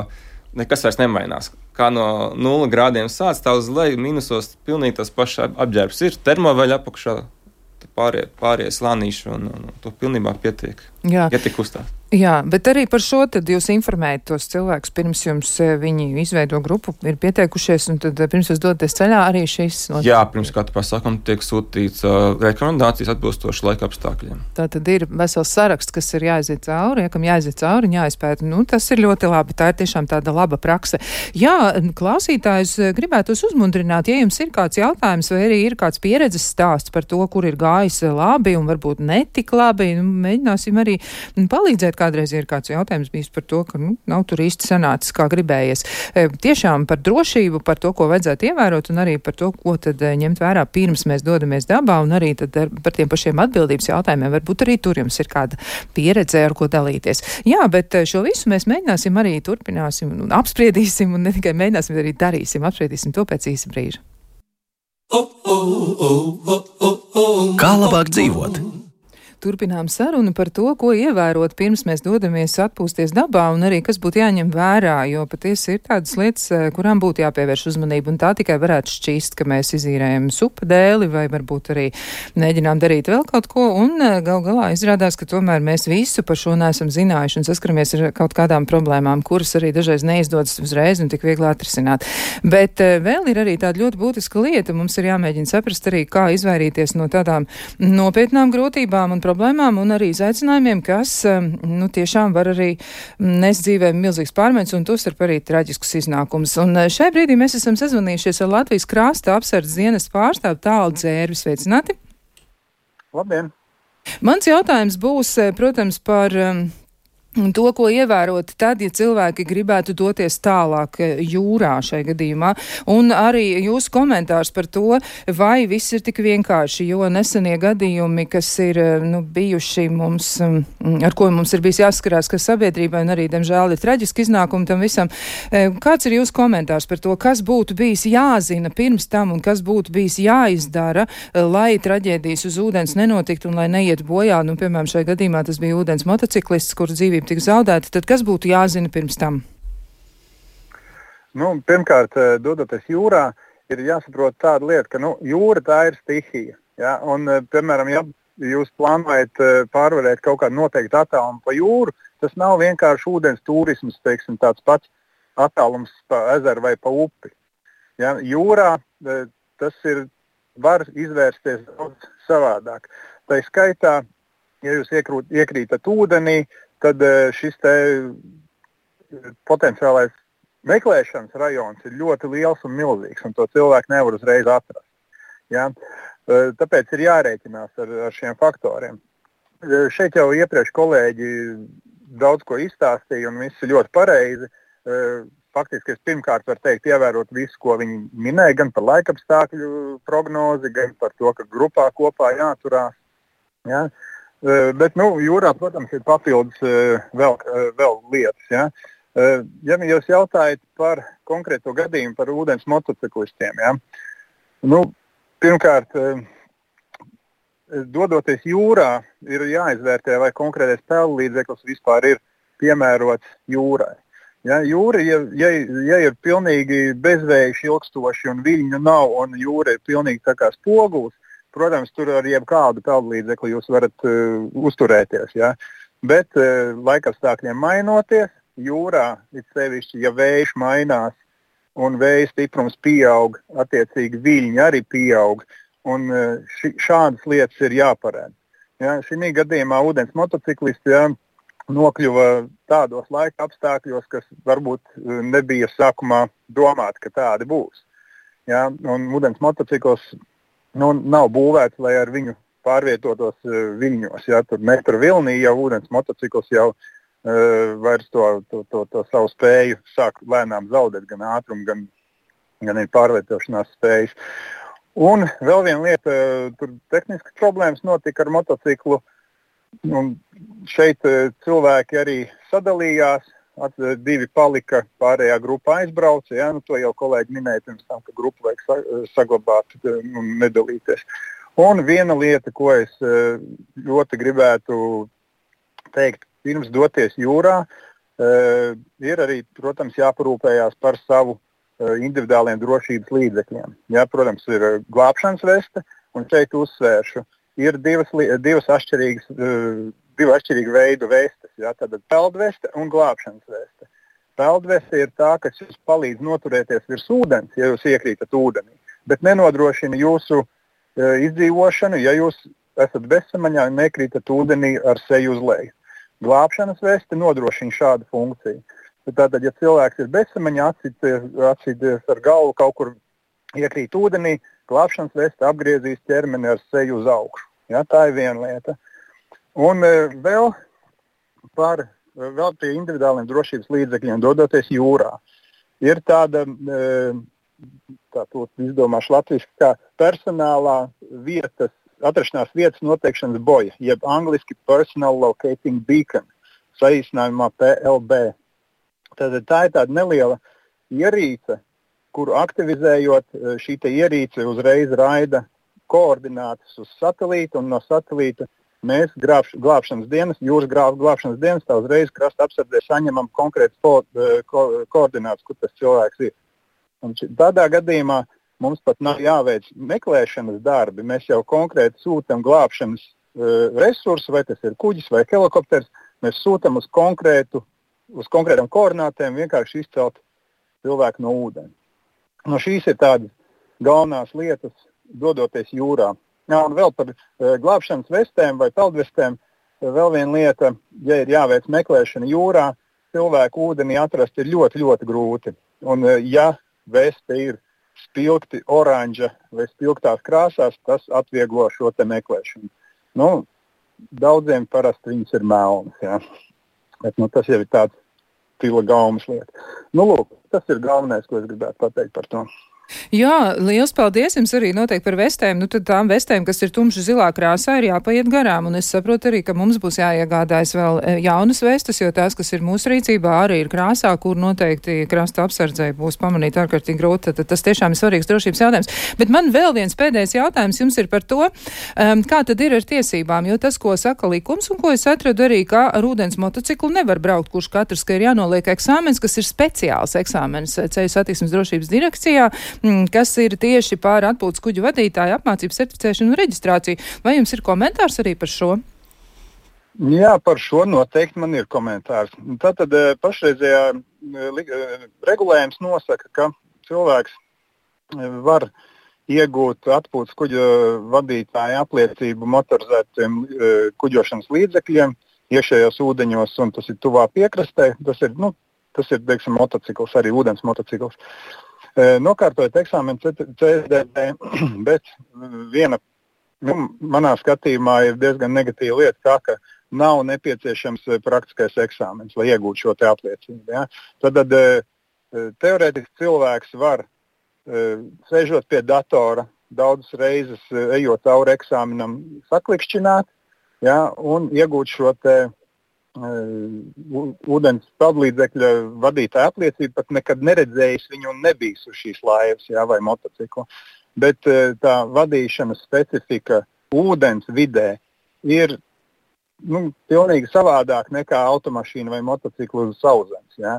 nekas vairs nemainās. Kā no nulli grādiem sāc, tā uz leju minusos pilnīgi tas pašs apģērbs ir, termoveļa apakšā, pārējie, pārējie slānīši, un, un, un to pilnībā pietiek, Jā. ja tik uzstās. Jā, bet arī par šo tad jūs informējat tos cilvēkus, pirms jums viņi izveido grupu, ir pieteikušies, un tad pirms jūs dodaties ceļā arī šīs notiek. Jā, pirms katra pasākuma tiek sūtīts uh, rekomendācijas atbilstoši laika apstākļiem. Tā tad ir vesels saraksts, kas ir jāaiziet cauri, ja, kam jāaiziet cauri un jāizpēta. Nu, tas ir ļoti labi, tā ir tiešām tāda laba prakse. Jā, klausītājus gribētos uzmundrināt, ja jums ir kāds jautājums vai arī ir kāds pieredzes stāsts par to, kur ir gājis labi un varbūt netik labi, nu, mēģināsim arī palīdzēt. Kādreiz ir kāds jautājums bijis par to, ka nu, nav tur īsti sanācis, kā gribējies. E, tiešām par drošību, par to, ko vajadzētu ievērot, un arī par to, ko tad e, ņemt vērā pirms mēs dodamies dabā, un arī tad ar, par tiem pašiem atbildības jautājumiem. Varbūt arī tur jums ir kāda pieredze, ar ko dalīties. Jā, bet šo visu mēs mēģināsim arī turpināsim un apspriedīsim, un ne tikai mēģināsim, bet arī darīsim. Apspriedīsim to pēc īsa brīža. Kā labāk dzīvot? Turpinām sarunu par to, ko ievērot pirms mēs dodamies atpūsties dabā un arī kas būtu jāņem vērā, jo patiesi ir tādas lietas, kurām būtu jāpievērš uzmanība, un tā tikai varētu šķīst, ka mēs izīrējam supa dēli vai varbūt arī mēģinām darīt vēl kaut ko, un gal galā izrādās, ka tomēr mēs visu par šo neesam zinājuši un saskaramies ar kaut kādām problēmām, kuras arī dažreiz neizdodas uzreiz un tik viegli atrisināt. Bet vēl ir arī tāda ļoti būtiska lieta, mums ir jāmēģina saprast arī, kā izvairīties no tādām nopietnām grūtībām un problēmām un arī izaicinājumiem, kas nu, tiešām var arī nest dzīvē milzīgs pārmaiņas un tostarp arī traģiskus iznākumus. Un šai brīdī mēs esam sazvanījušies ar Latvijas krasta apsardzes dienesta pārstāvu Tālu Dzērvi. Sveicināti! Labdien! Mans jautājums būs, protams, par to, ko ievērot tad, ja cilvēki gribētu doties tālāk jūrā šai gadījumā, un arī jūsu komentārs par to, vai viss ir tik vienkārši, jo nesenie gadījumi, kas ir nu, bijuši mums, ar ko mums ir bijis jāskarās, ka sabiedrībai un arī, diemžēl, ir traģiski iznākumi tam visam. Kāds ir jūsu komentārs par to, kas būtu bijis jāzina pirms tam un kas būtu bijis jāizdara, lai traģēdijas uz ūdens nenotiktu un lai neiet bojā? Nu, piemēram, šai gadījumā tas bija ūdens motociklists, kur dzīvība tik zaudēti, tad kas būtu jāzina pirms tam? Nu, pirmkārt, dodoties jūrā, ir jāsaprot tāda lieta, ka nu, jūra tā ir stihija. Ja? Un, piemēram, ja jūs plānojat pārvarēt kaut kādu noteiktu attālumu pa jūru, tas nav vienkārši ūdens turisms, teiksim, tāds pats attālums pa ezeru vai pa upi. Ja? Jūrā tas ir, var izvērsties daudz savādāk. Tā skaitā, ja jūs iekrūt, iekrītat ūdenī, tad šis te potenciālais meklēšanas rajons ir ļoti liels un milzīgs, un to cilvēku nevar uzreiz atrast. Ja? Tāpēc ir jārēķinās ar, ar šiem faktoriem. Šeit jau iepriekš kolēģi daudz ko izstāstīja, un viss ir ļoti pareizi. Faktiski es pirmkārt varu teikt, ievērot visu, ko viņi minēja, gan par laikapstākļu prognozi, gan par to, ka grupā kopā jāturās. Ja? Bet, nu, jūrā, protams, ir papildus vēl, vēl lietas. Ja? Ja jūs jautājat par konkrēto gadījumu par ūdens motociklistiem, ja? Nu, pirmkārt, dodoties jūrā, ir jāizvērtē, vai konkrētais peldlīdzeklis vispār ir piemērots jūrai. Ja? Jūra, ja, ja, ja ir pilnīgi bezvējš ilgstoši un viļņu nav, un jūra ir pilnīgi tā kā spogulis, protams, tur ar jebkādu peldlīdzekli jūs varat uh, uzturēties, ja? Bet uh, laikapstākļiem mainoties, jūrā, it sevišķi, ja vējš mainās un vēja stiprums pieaug, attiecīgi viļņi arī pieaug, un ši, šādas lietas ir jāparēd. Ja, šī gadījumā ūdens motociklisti ja, nokļuva tādos laika apstākļos, kas varbūt nebija sākumā domāti, ka tādi būs. Ja, un ūdens motocikls nu, nav būvēts, lai ar viņu pārvietotos viļņos. Ja, tur metru vilnī jau ūdens motocikls jau uh, vairs to, to, to, to savu spēju sāk lēnām zaudēt, gan ātrumu, gan, gan arī pārvietošanās spējas. Un vēl viena lieta, tur tehniskas problēmas notika ar motociklu. Un šeit cilvēki arī sadalījās, at, divi palika, pārējā grupa aizbrauca. Ja? Nu, to jau kolēģi minēja pirms tam, ka grupu vajag sa, saglabāt un nedalīties. Un viena lieta, ko es ļoti gribētu teikt, pirms doties jūrā, ir arī, protams, jāparūpējās par savu individuāliem drošības līdzekļiem. Ja? Protams, ir glābšanas veste, un šeit uzsvēršu. Ir divas, divas atšķirīgas, divu atšķirīgu veidu vestes, ja, tātad peldveste un glābšanas veste. Peldveste ir tā, kas jums palīdz noturēties virs ūdens, ja jūs iekrītat ūdenī, bet nenodrošina jūsu e, izdzīvošanu, ja jūs esat bezsamaņā un nekrītat ūdenī ar seju uz leju. Glābšanas veste nodrošina šādu funkciju. Tātad, ja cilvēks ir bezsamaņā, atsīties ar galvu kaut kur iekrīt ūdenī, glābšanas veste apgriezīs ķermeni ar seju uz augšu. Ja, tā ir viena lieta. Un e, vēl par vēl pie individuāliem drošības līdzekļiem dodoties jūrā. Ir tāda, e, tā to izdomāšu latviski, kā personālā vietas, atrašanās vietas noteikšanas boja, jeb angliski Personal Locating Beacon, saīsinājumā P L B. Tad tā ir tāda neliela ierīce, kuru aktivizējot, šī te ierīce uzreiz raida koordinātas uz satelītu, un no satelīta mēs grābš, glābšanas dienas, jūras grāb, glābšanas dienas, tā uzreiz krasta apsardzē saņemam konkrētas ko, ko, koordinātas, kur tas cilvēks ir. Un tādā gadījumā mums pat nav jāveic meklēšanas darbi, mēs jau konkrēti sūtam glābšanas uh, resursu, vai tas ir kuģis vai helikopters, mēs sūtam uz konkrētu, uz konkrētām koordinātēm vienkārši izcelt cilvēku no ūdeni. No šīs ir tādas galvenās lietas, dodoties jūrā. Jā, un vēl par e, glābšanas vestēm vai peldvestēm, vēl viena lieta, ja ir jāveic meklēšana jūrā, cilvēku ūdenī atrast ir ļoti, ļoti grūti. Un e, ja veste ir spilgti oranža vai spilgtās krāsās, tas atvieglo šo te meklēšanu. Nu, daudziem parasti viņas ir melnas, jā. Bet nu, tas jau ir tāds stila gaumas lieta. Nu, lūk, tas ir galvenais, ko es gribētu pateikt par to. Jā, liels paldies jums arī noteikti par vestēm. Nu, tad tām vestēm, kas ir tumši zilā krāsā, ir jāpaiet garām. Un es saprotu arī, ka mums būs jāiegādājas vēl jaunas vestas, jo tās, kas ir mūsu rīcībā, arī ir krāsā, kur noteikti krasta apsardzē būs pamanīt ārkārtīgi grūti. Tad tas tiešām ir svarīgs drošības jautājums. Bet man vēl viens pēdējais jautājums jums ir par to, um, kā tad ir ar tiesībām, jo tas, ko saka likums un ko es atradu arī, kā ar ūdens motociklu nevar braukt, kurš katrs, ka ir jānoliek eksāmens, kas ir speciāls eksāmens Ceļu satiksmes drošības direkcijā, kas ir tieši pār atpūtas kuģu vadītāju apmācību, certificēšanu un reģistrāciju. Vai jums ir komentārs arī par šo? Jā, par šo noteikti man ir komentārs. Tātad pašreizējā regulējums nosaka, ka cilvēks var iegūt atpūtas kuģu vadītāju apliecību motorizētiem kuģošanas līdzekļiem iekšējos ūdeņos, un tas ir tuvā piekrastē. Tas ir, nu, tas ir, teiksim, motocikls, arī ūdens motocikls. Nokārtojot eksāmenu C S D B, bet viena, nu, manā skatījumā ir diezgan negatīva lieta tā, ka nav nepieciešams praktiskais eksāmens, lai iegūtu šo te apliecību. Ja? Tad teorētiski cilvēks var, sēžot pie datora, daudzas reizes ejot cauri eksāmenam, saklikšķināt, ja? Un iegūt šo te ūdens peldlīdzekļa vadītāja apliecību, pat nekad neredzējis viņu un nebijis uz šīs laivas, jā, vai motociklu. Bet tā vadīšanas specifika ūdens vidē ir, nu, pilnīgi savādāk nekā automašīna vai motociklu uz sauszemes, jā.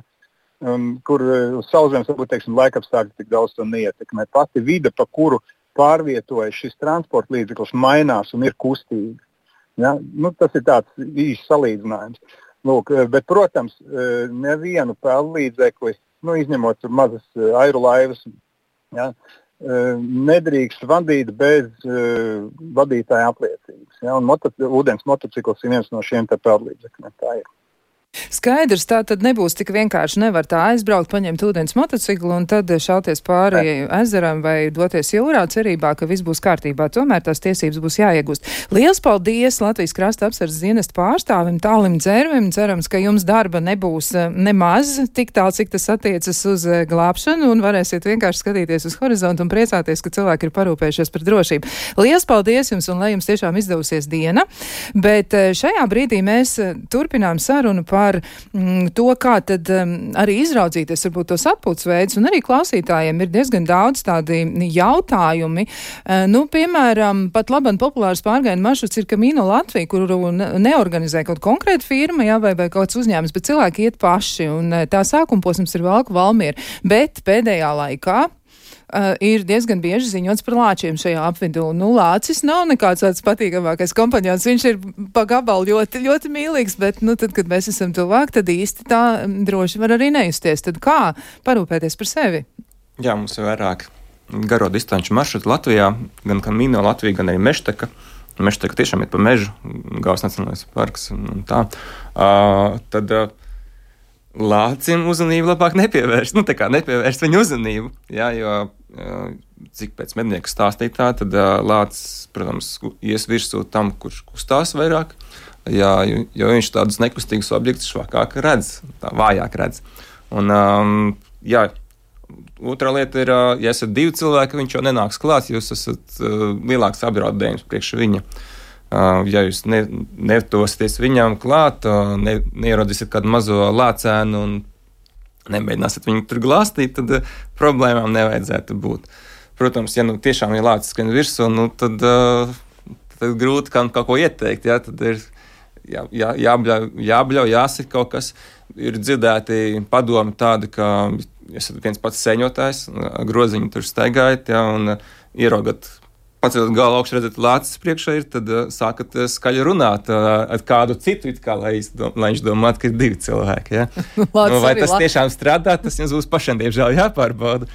Un, kur uz sauszemes, varbūt, teiksim, laikapstākļi tik daudz to neietekmē. Pati vide, pa kuru pārvietojas šis transporta līdzeklis, mainās un ir kustīga. Ja? Nu, tas ir tāds īsts salīdzinājums. Lūk, bet, protams, nevienu peldlīdzekli nu, izņemot mazas airu laivas, ja, nedrīkst vadīt bez uh, vadītāja apliecības. Ja, un moto, ūdens motocikls ir viens no šiem te peldlīdzekļiem. Tā ir. Skaidrs, tā tad nebūs tik vienkārši, nevar tā aizbraukt, paņemt ūdens motociklu un tad šauties pāri ezeram vai doties jūrā cerībā, ka viss būs kārtībā. Tomēr tās tiesības būs jāiegūst. Liels paldies Latvijas krasta apsardzes dienesta pārstāvim Tālim Dzērvim. Cerams, ka jums darba nebūs nemaz tik tālu, cik tas attiecas uz glābšanu un varēsiet vienkārši skatīties uz horizontu un priecāties, ka cilvēki ir parūpējušies par drošību. Liels paldies jums un lai jums tiešām izdevusies diena. Bet šajā brīdī mēs turpinām sarunu par par mm, to, kā tad um, arī izraudzīties varbūt tos atpūtas veidus, un arī klausītājiem ir diezgan daudz tādi jautājumi. Uh, nu, piemēram, pat labam populārs pārgājienu maršruts ir Camino Latvija, kuru neorganizē kaut konkrēta firma, jā, vai, vai kāds uzņēmums, bet cilvēki iet paši, un tā sākuma posms ir Valku Valmiera. Bet pēdējā laikā Uh, ir diezgan bieži ziņots par lāčiem šajā apvidū. Nu, lācis nav nekāds tāds patīkamākais kompanjons. Viņš ir pa gabalu ļoti, ļoti mīlīgs, bet, nu, tad, kad mēs esam tuvāk, tad īsti tā droši var arī nejusties. Tad kā parūpēties par sevi? Jā, mums ir vairāk garo distanču maršrutu Latvijā, gan Camino Latvija, gan arī Mežteka. Mežteka tiešām ir pa mežu, Gavas Nacionālais parks un tā. Uh, tad... Uh, Lācim uzmanību labāk nepievērst, nu tā kā nepievērst viņu uzmanību, jā, jo cik pēc mednieku stāstītā, tad lācis, protams, ies virsū tam, kurš kustās vairāk, jā, jo, jo viņš tādus nekustīgus objektus švakāk redz, tā vājāk redz. Un, jā, otrā lieta ir, ja esat divi cilvēki, viņš jau nenāks klāt, jūs esat lielāks apdraudējums priekš viņa. Uh, ja jūs ne, netosieties viņam klāt, uh, ne, neierodīsiet kādu mazo lācēnu un nemēģināsiet viņu tur glāstīt, tad uh, problēmām nevajadzētu būt. Protams, ja nu tiešām ir lācis skrien virsū, nu, tad, uh, tad grūti kaut ko ieteikt. Ja? Tad ir jā, jā, jābļauj, jābļauj, jāsit kaut kas. Ir dzirdēti padomi tādi, ka esat viens pats sēņotājs, groziņu tur staigājat, ja, un uh, ieraugat paceļot galvu augšu, redzat, lācis priekšā ir, tad uh, sākat uh, skaļi runāt uh, ar kādu citu, it kā, lai, dom, lai viņš domātu, ka ir divi cilvēki. Ja? Nu, vai tas lācis tiešām strādā, tas jums būs pašiem, diemžēl, jāpārbauda.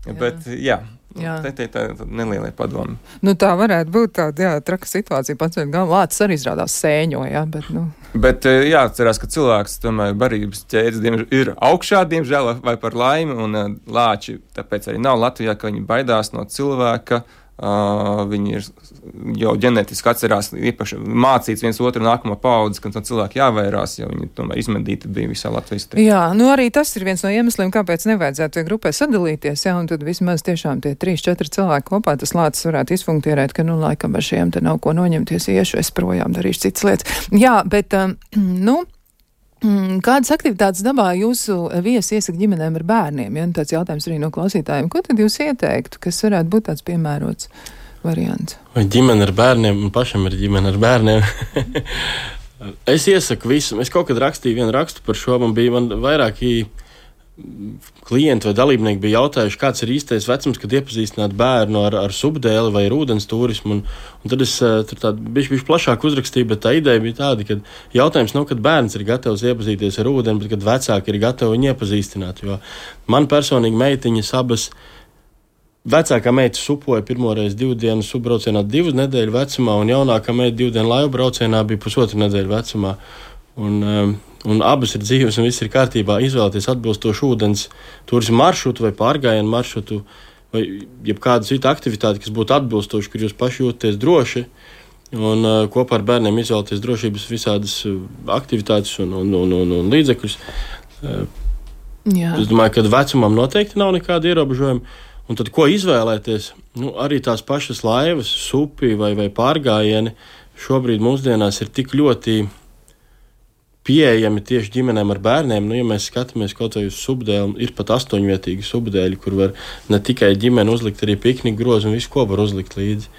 Jā. Bet, jā, jā. te te tā nelielie padomi. Nu, tā varētu būt tāda, jā, traka situācija, paceļot galvu, lācis arī izrādās sēņo, jā, bet, nu. Bet jāatcerās, ka cilvēks, tomēr, barības ķēdes diemžēl, ir augšā, diemžēl, vai par laimi, un uh, lāči, tāpēc arī nav Latvijā, ka viņi baidās no cilvēka. Uh, viņi ir jau ģenētiski atcerās īpaši mācīts viens otru nākamo paudzi, ka no cilvēki jāvairās, jo viņi tomēr izmedīti bija visā Latvijas. Te. Jā, nu arī tas ir viens no iemesliem, kāpēc nevajadzētu tie grupai sadalīties, jā, un tad vismaz tiešām tie trīs, četri cilvēki kopā tas lācis varētu izfunktierēt, ka, nu, laikam ar šiem te nav ko noņemties, iešu, es projām darīšu citas lietas. Jā, bet, um, nu, kādas aktivitātes dabā jūsu viesi iesaka ģimenēm ar bērniem? Ja? Tāds jautājums arī no klausītājiem. Ko tad jūs ieteiktu, kas varētu būt tāds piemērots variants? Vai ģimene ar bērniem, un pašam ir ģimene ar bērniem. Es iesaku visu. Es kaut kad rakstīju vienu rakstu par šo, man bija man vairāki klienti vai dalībnieki bija jautājuši, kāds ir īstais vecums, kad iepazīstināt bērnu ar, ar subdēli vai ar ūdens turismu. Un, un tad es tur tādu bišķi, bišķi plašāk uzrakstīju, bet tā ideja bija tāda, ka jautājums nav, kad bērns ir gatavs iepazīties ar ūdeni, bet kad vecāki ir gatavi viņu iepazīstināt. Jo man personīgi meitiņas abas, vecākā meita supoja pirmoreiz divu dienu subbraucienā divu nedēļu vecumā, un jaunākā meita divu dienu laivu braucienā bija pusotru nedēļu vecumā. Un, um, un abas ir dzīves un viss ir kārtībā. Izvēlēties atbilstošu ūdens turismu maršrutu vai pārgājienu maršrutu vai jebkādu citu aktivitāti, kas būtu atbilstoši, kur jūs paši jūtaties droši. Un uh, kopā ar bērniem izvēlēties drošības visādas uh, aktivitātes un, un, un, un, un līdzekļus. Uh, es domāju, ka vecumam noteikti nav nekāda ierobežojuma. Un tad, ko izvēlēties? Nu, arī tās pašas laivas, supi vai, vai pārgājieni šobrīd mūsdienās ir tik ļoti pieejami tieši ģimenēm ar bērniem. Nu, ja mēs skatāmies kaut vai uz subdēli, ir pat astoņvietīgi subdēļi, kur var ne tikai ģimeni uzlikt, arī pikniku grozu un visu, ko var uzlikt līdzi.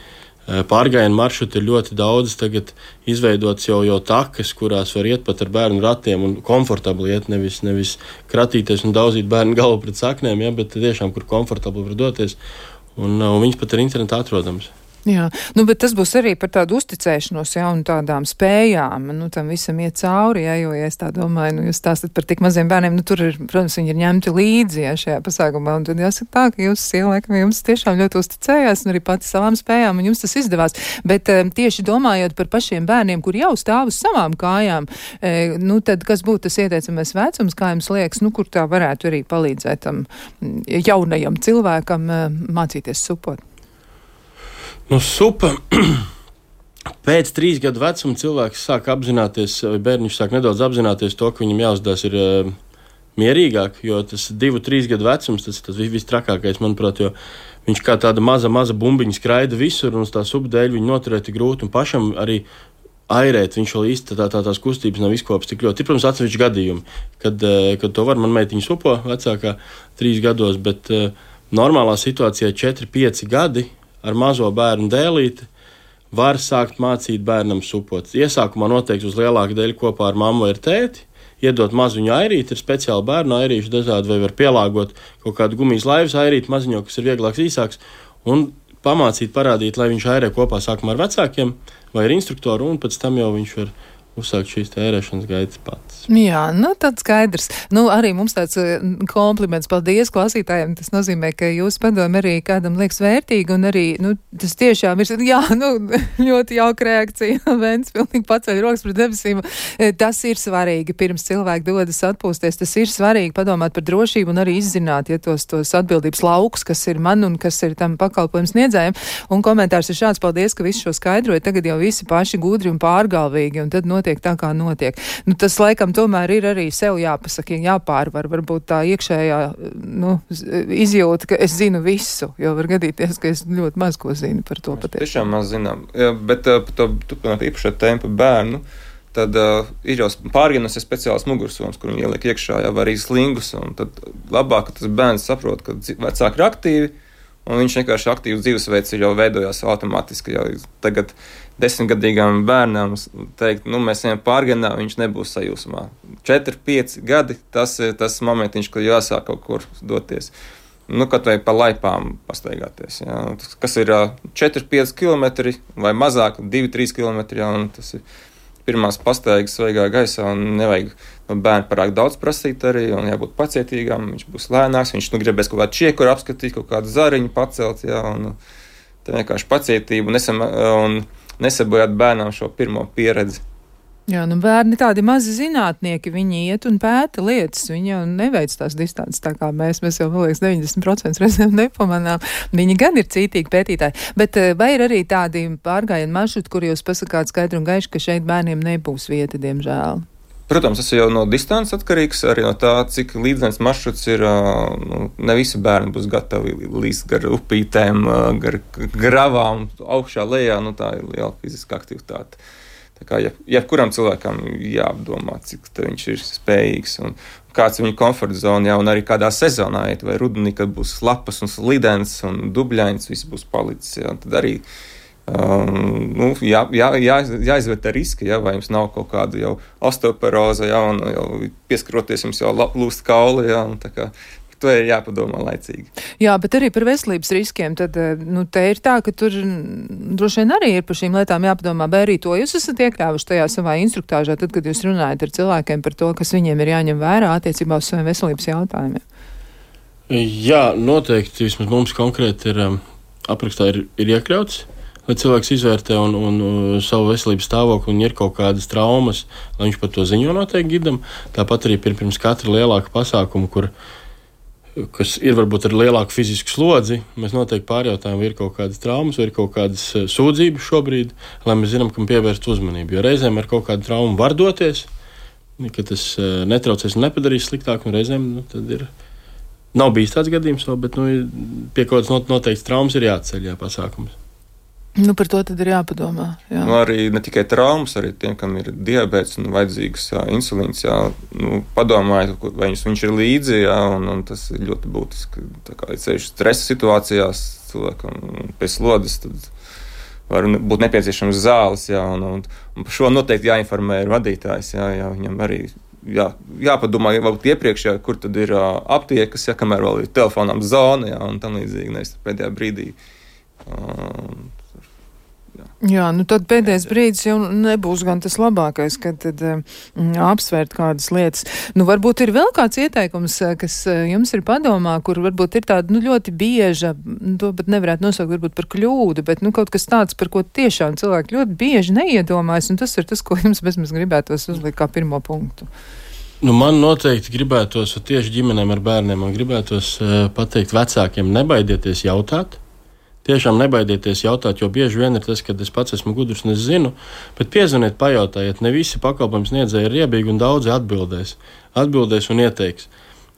Pārgājienu maršruti ir ļoti daudz, tagad izveidots jau, jau takas, kurās var iet pat ar bērnu ratiem un komfortabli iet, nevis, nevis kratīties un daudzīt bērnu galvu pret saknēm, ja, bet tiešām, kur komfortabli var doties, un, un viņas pat ir internetā atrodams. Jā, nu, bet tas būs arī par tādu uzticēšanos, jā, un tādām spējām, nu, tam visam iet cauri, jā, jo, ja es tā domāju, nu, jūs stāstat par tik maziem bērniem, nu, tur ir, protams, viņi ir ņemti līdzi, jā, šajā pasākumā, un tad jāsaka tā, ka jūs, sieva, laikam, jums tiešām ļoti uzticējās, un arī pati savām spējām, un jums tas izdevās, bet um, tieši domājot par pašiem bērniem, kur jau stāv uz savām kājām, e, nu, tad kas būtu tas ieteicamais vecums, kā jums liekas, nu, kur tā varētu arī palīdzēt tam jaunajam cilvēkam e, mācīties supot? Nu, supa. Pēc trīs gadu vecuma cilvēks sāk apzināties, vai bērniņš sāk nedaudz apzināties to, ka viņam jāuzdās ir uh, mierīgāk, jo tas divu, trīs gadu vecums, tas ir tas viss trakākais, manuprāt, jo viņš kā tāda maza, maza bumbiņa skraida visur, un uz tā supa dēļ viņu noturēt ir grūti, un pašam arī airēt, viņš vēl īsti tā, tā, tās kustības nav izkopas tik ļoti. Ir, protams, atsevišķi gadījumi, kad, uh, kad to var, man meitiņa supo vecākā trīs gados, bet uh, normālā situācijā četri, pieci gadi ar mazo bērnu dēlīti var sākt mācīt bērnam supot. Iesākumā noteikti uz lielāku dēļu kopā ar mammu vai tēti, iedot maziņu airīti, ir speciāli bērnu airīši dažādi, vai var pielāgot kaut kādu gumijas laivas airīti maziņo, kas ir vieglāks, īsāks, un pamācīt, parādīt, lai viņš airē kopā sākumā ar vecākiem vai ar instruktoru, un pēc tam jau viņš var uzsākt šīs ērēšanas gaitas pats. Jā, nu tad skaidrs. Nu, arī mums tāds kompliments, paldies klausītājiem. Tas nozīmē, ka jūs padomi arī kādam liekas vērtīgi, un arī, nu, tas tiešām ir, jā, nu, ļoti jauka reakcija. Vents pilnīgi paceļ rokas pret debesīm. Tas ir svarīgi, pirms cilvēki dodas atpūsties. Tas ir svarīgi padomāt par drošību un arī izzināt, ja tos, tos atbildības laukus, kas ir man un kas ir tam pakalpojums sniedzējiem. Un komentārs ir šāds, paldies, ka visu šo skaidroja. Tagad jau visi paši gudri un pārgalvīgi, un tad no notiek tā, kā notiek. Nu, tas laikam tomēr ir arī sev jāpasaka, jāpārvar, varbūt tā iekšējā, nu, izjūta, ka es zinu visu, jo var gadīties, ka es ļoti maz ko zinu par to patiesi. Tiešām maz zinām, jā, bet uh, par to turpināt īpašā tēma par bērnu, tad uh, ir jau pārgienas ir speciāls mugursoms, kur viņi ieliek iekšā, jau arī slingus, un tad labāk, ka tas bērns saprot, ka vecāki ir aktīvi, un viņš vienkārši aktīvs dzīvesveids ir jau veidojās automātiski, jau tagad desmitgadīgām bērnām teikt, nu, mēs ejam pārgenā, viņš nebūs sajūsmā. četri, pieci gadi, tas ir tas momentiņš, kad jāsāk kaut kur doties. Nu, kaut vai pa laipām pastaigāties, jā. Kas ir četri, pieci kilometri vai mazāk, divi, trīs kilometri, jā, un tas ir pirmās pastaigas svaigā gaisā, un nevajag no bērna parāk daudz prasīt arī, un jābūt pacietīgām, viņš būs lēnāks, viņš nu gribēs kaut kādu čiekuru apskatīt, kaut kādu zariņu pacelt, jā, un tā vienkārši pacietība, un, esam, un nesabojāt bērnam šo pirmo pieredzi. Jā, nu bērni tādi mazi zinātnieki, viņi iet un pēta lietas, viņi jau neveic tās distances tā kā mēs, mēs jau, man liekas, deviņdesmit procenti reizēm nepamanām. Viņi gan ir cītīgi pētītāji, bet vai ir arī tādi pārgājienu maršruti, kur jūs pasakāt skaidri un gaiši, ka šeit bērniem nebūs vieta, diemžēl? Protams, tas jau no distances atkarīgs, arī no tā, cik līdzenes maršruts ir. Nu, ne visi bērni būs gatavi līst gar upītēm, gar gravām, augšā lejā, nu tā ir liela fiziska aktivitāte. Tā kā jebkuram cilvēkam jāapdomā, cik viņš ir spējīgs un kāds ir viņa komforta zona, jā, un arī kādā sezonā iet, vai rudenī, kad būs lapas un slidens un dubļains, viss būs palicis, jā, tad arī Um, nu, jā, jā, jā, jāizvērtē riski, ja, vai jums nav kaut kāda jau osteoporoze, ja, un jau pieskaroties jums jau lūst kauli, ja, un tā kā to ir jāpadomā laicīgi. Jā, bet arī par veselības riskiem, tad, nu, te ir tā, ka tur droši vien arī ir par šīm lietām jāpadomā, vai arī to jūs esat iekļāvuši tajā savā instruktāžā, tad, kad jūs runājat ar cilvēkiem par to, kas viņiem ir jāņem vērā attiecībā uz saviem veselības jautājumiem. Jā, noteikti, vismaz mums konkrēti ir aprakstā ir, ir iekļauts, lai cilvēks izvērtē un, un, un savu veselības stāvokli, un ir kaut kādas traumas, lai viņš par to ziņo noteikti gidam. Tāpat arī pirms katra lielāka pasākuma, kur, kas ir varbūt ar lielāku fizisku slodzi, mēs noteikti pārjautājam, vai ir kaut kādas traumas, vai ir kaut kādas sūdzības šobrīd, lai mēs zinām, kam pievērst uzmanību. Jo reizēm ar kaut kādu traumu var doties, ka tas netraucēs un nepadarīs sliktāk, un reizēm nu, tad ir. Nav bijis tāds gadījums, bet nu, pie kaut kādas noteikts traumas ir jāatceļ, jā, pasākums. Nu, par to tad ir jāpadomā. Jā. Nu, arī ne tikai traumas, arī tiem, kam ir diabēts un vajadzīgs jā, insulīns, jā, nu, padomājiet, vai viņš, viņš ir līdzi, jā, un, un tas ir ļoti būtiski. Tā kā ir ceļš stresa situācijās cilvēkam pēc slodzes, tad var būt nepieciešams zāles, jā, un, un, un par šo noteikti jāinformē ir vadītājs, jā, jā, viņam arī jā, jāpadomā, varbūt iepriekš, jā, kur tad ir uh, aptiekas, jā, kamēr vēl ir telefonām zona, jā, un tam līdzīgi, nevis pēdējā brīdī. Uh, Jā, nu tad pēdējais brīdis jau nebūs gan tas labākais, kad tad mm, apsvērt kādas lietas. Nu, varbūt ir vēl kāds ieteikums, kas jums ir padomā, kur varbūt ir tāda, nu, ļoti bieža, to pat nevarētu nosaukt varbūt par kļūdu, bet, nu, kaut kas tāds, par ko tiešām cilvēki ļoti bieži neiedomājas, un tas ir tas, ko jums bezmaz gribētos uzlikt kā pirmo punktu. Nu, man noteikti gribētos tieši ģimenēm ar bērniem, man gribētos uh, pateikt vecākiem, nebaidieties jautāt. Tiešām nebaidieties jautāt, jo bieži vien ir tas, ka es pats esmu gudrs un es zinu, bet piezvaniet, pajautājiet, ne visi pakalpojums sniedzēji ir riebīgi un daudzi atbildēs. Atbildēs un ieteiks,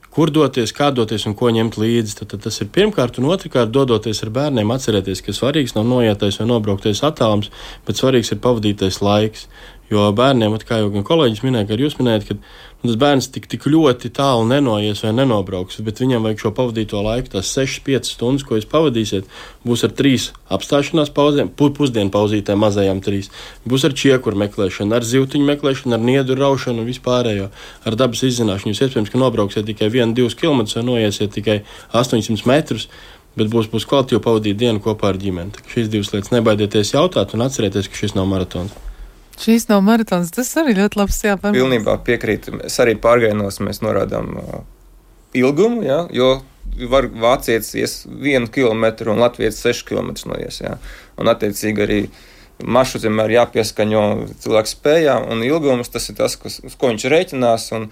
kur doties, kā doties un ko ņemt līdzi. Tad, tad tas ir pirmkārt un otrkārt dodoties ar bērniem, atcerēties, ka svarīgs nav noietais vai nobrauktais attālums, bet svarīgs ir pavadītais laiks. Jo bērniem, kā jau gan kolēģis minēja, ka jūs minējat, ka nu, tas bērns tik, tik ļoti tālu nenoies vai nenobrauks, bet viņam vajag šo pavadīto laiku, tās sešas piecas stundas, ko jūs pavadīsiet, būs ar trīs apstāšanās pauzēm, pusdienu pauzītēm mazajām trīs, būs ar čiekuru meklēšanu, ar zivtiņu meklēšanu, ar niedu raušanu un vispārējo, ar dabas izzināšanu. Jūs iespējams, ka nobrauksiet tikai vienu, divus kilometrus vai noiesiet tikai astoņsimt metrus, bet būs, būs kvalitīvi pavadīt dienu kopā ar ģimeni. Šīs divas lietas nebaidieties jautāt un atcerieties, ka šis nav maratons. Šīs nav maratons, tas arī ļoti labs jāpārmēr. Pilnībā piekrīt. Es arī pārgājienos mēs norādām uh, ilgumu, jā, jo var vācietis ies vienu kilometru un latvietis sešas kilometrus noies, jā. Un attiecīgi arī maršruts vienmēr jāpieskaņo cilvēku spējām, un ilgums tas ir tas, kas, uz ko viņš rēķinās, un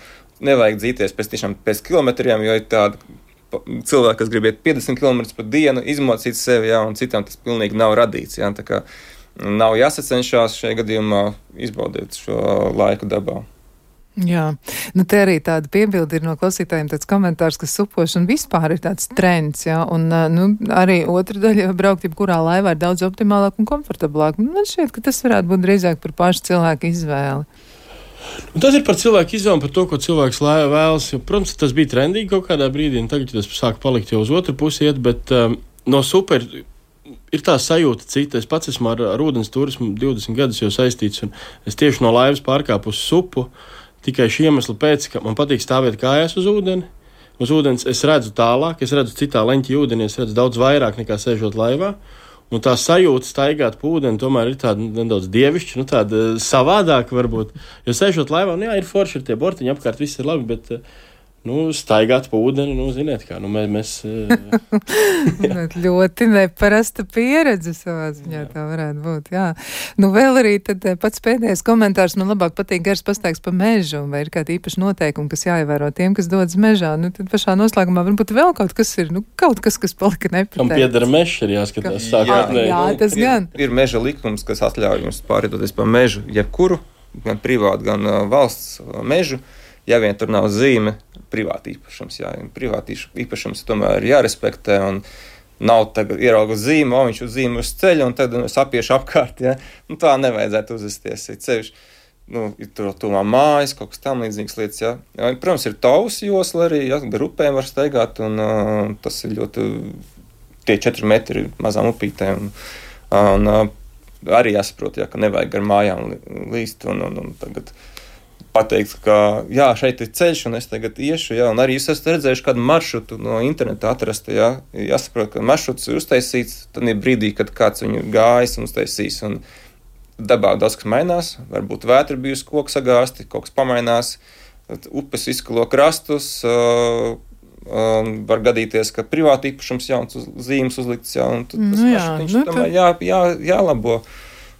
nevajag dzīties pēc tiešām pēc kilometriem, jo ir tāda cilvēki, kas grib iet piecdesmit kilometrus pa dienu, izmocīt sevi, jā, un citām tas pilnīgi nav radīts, jā, tā kā nav jāsacenšās šajā gadījumā izbaudīt šo laiku dabā. Jā, nu te arī tāda piebildi ir no klausītājiem tāds komentārs, ka supošana vispār ir tāds trends, jā, un nu, arī otra daļa braukt jebkurā laivā ir daudz optimālāk un komfortablāk. Man šķiet, ka tas varētu būt drīzāk par pašu cilvēku izvēli. Un tas ir par cilvēku izvēli, par to, ko cilvēks vēlas. Protams, tas bija trendīgi kaut kādā brīdī, un tagad tas sāk palikt jau uz otru pusi iet, bet um, no super ir tā sajūta cita. Es pats esmu ar, ar ūdens turismu divdesmit gadus jau saistīts, un es tieši no laivas pārkāpu uz supu tikai šī iemesla pēc, ka man patīk stāvēt kājās uz ūdeni. Uz ūdens es redzu tālāk, es redzu citā leņķī ūdenī, es redzu daudz vairāk nekā sēžot laivā. Un tā sajūta staigāt pa ūdeni tomēr ir tāda nedaudz dievišķa, nu tāda savādāka varbūt. Jo sēžot laivā, nu jā, ir forši, ir tie bortiņi apkārt, viss ir labi, bet nu, staigāt pa ūdeni, nu, ziniet kā, nu, mēs... mēs ļoti neparasta pieredze savā ziņā, jā. Tā varētu būt, jā. Nu, vēl arī tad pats pēdējais komentārs, man labāk patīk gars pastaigs pa mežu, vai ir kādi īpaši noteikumi, kas jāievēro tiem, kas dodas mežā. Nu, tad pašā noslēgumā varbūt vēl kaut kas ir, nu, kaut kas, kas palika nepateikts. Kam piedara mežs, ir jāskatās sākotnēji. Jā, jā, tas gan. Ir, ir meža likums, kas atļauj jums pārvietoties pa mežu, jebkuru, gan privātu, gan uh, valsts mežu. Ja vien tur nav zīme, privāti īpašums, jā, privāti īpašums tomēr ir jārespektē, un nav tagad ieraugu zīme, o viņš uz zīme uz ceļa, un tad es apiešu apkārt, jā, nu tā nevajadzētu uzvesties, ir ceļš, nu, ir tur tuvā mājas, kaut kas tam līdzīgas lietas, jā. jā. Protams, ir tavs josla arī, jā, gar upēm var staigāt, un uh, tas ir ļoti, tie četri metri mazām upītēm, un, un uh, arī jāsaprot, jā, ka nevajag gar mājām līst, un, un, un tagad pateikt, ka jā, šeit ir ceļš, un es tagad iešu, jā, un arī jūs esat redzējuši kādu maršrutu no interneta atrast, jā, jāsaprot, ka maršruts ir uztaisīts, tad ir brīdī, kad kāds viņu gājis un uztaisīs, un dabā daudz kas mainās, varbūt vētra bijusi koku sagāsti, kaut kas pamainās, upes izkalo krastus, uh, uh, var gadīties, ka privāti īpašums jauns uz, zīmes uzlikts, jā, un tad tas nu, maršrutiņš nu, tomēr jā, jā, jālabo.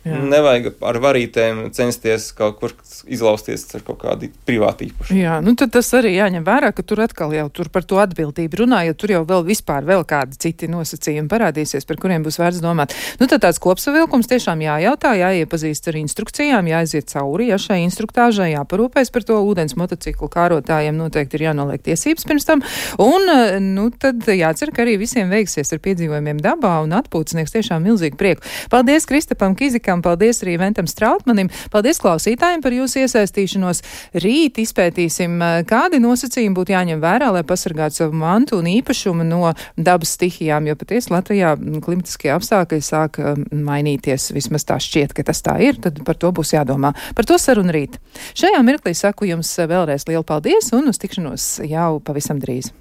Jā. Nevajag ar varītēm censties kaut kur izlausties ar kaut kādu privātu īpašumu. Jā, nu tad tas arī jāņem vērā, ka tur atkal jau tur par to atbildību runā, jo tur jau vēl vispār vēl kādi citi nosacījumi parādīsies, par kuriem būs vērts domāt. Nu tad tāds kopsavilkums tiešām jājautā, jāiepazīst ar instrukcijām, jāaiziet cauri, ja šai instruktāžai jāparūpēs par to. Ūdens motociklu kārotājiem noteikti ir jānoliek tiesības pirms tam, un nu tad jācer, ka arī visiem veiksies ar piedzīvojumiem dabā, un atpūtas sniegs tiešām milzīgu prieku. Paldies Kristapam Kizikam! Paldies arī Ventam Strautmanim. Paldies klausītājiem par jūsu iesaistīšanos. Rīt izpētīsim, kādi nosacījumi būtu jāņem vērā, lai pasargātu savu mantu un īpašumu no dabas stihijām, jo patiesi Latvijā klimatiskie apstākļi sāk mainīties. Vismaz tā šķiet, ka tas tā ir, tad par to būs jādomā. Par to sarunu rīt. Šajā mirklī saku jums vēlreiz lielu paldies un uz tikšanos jau pavisam drīz.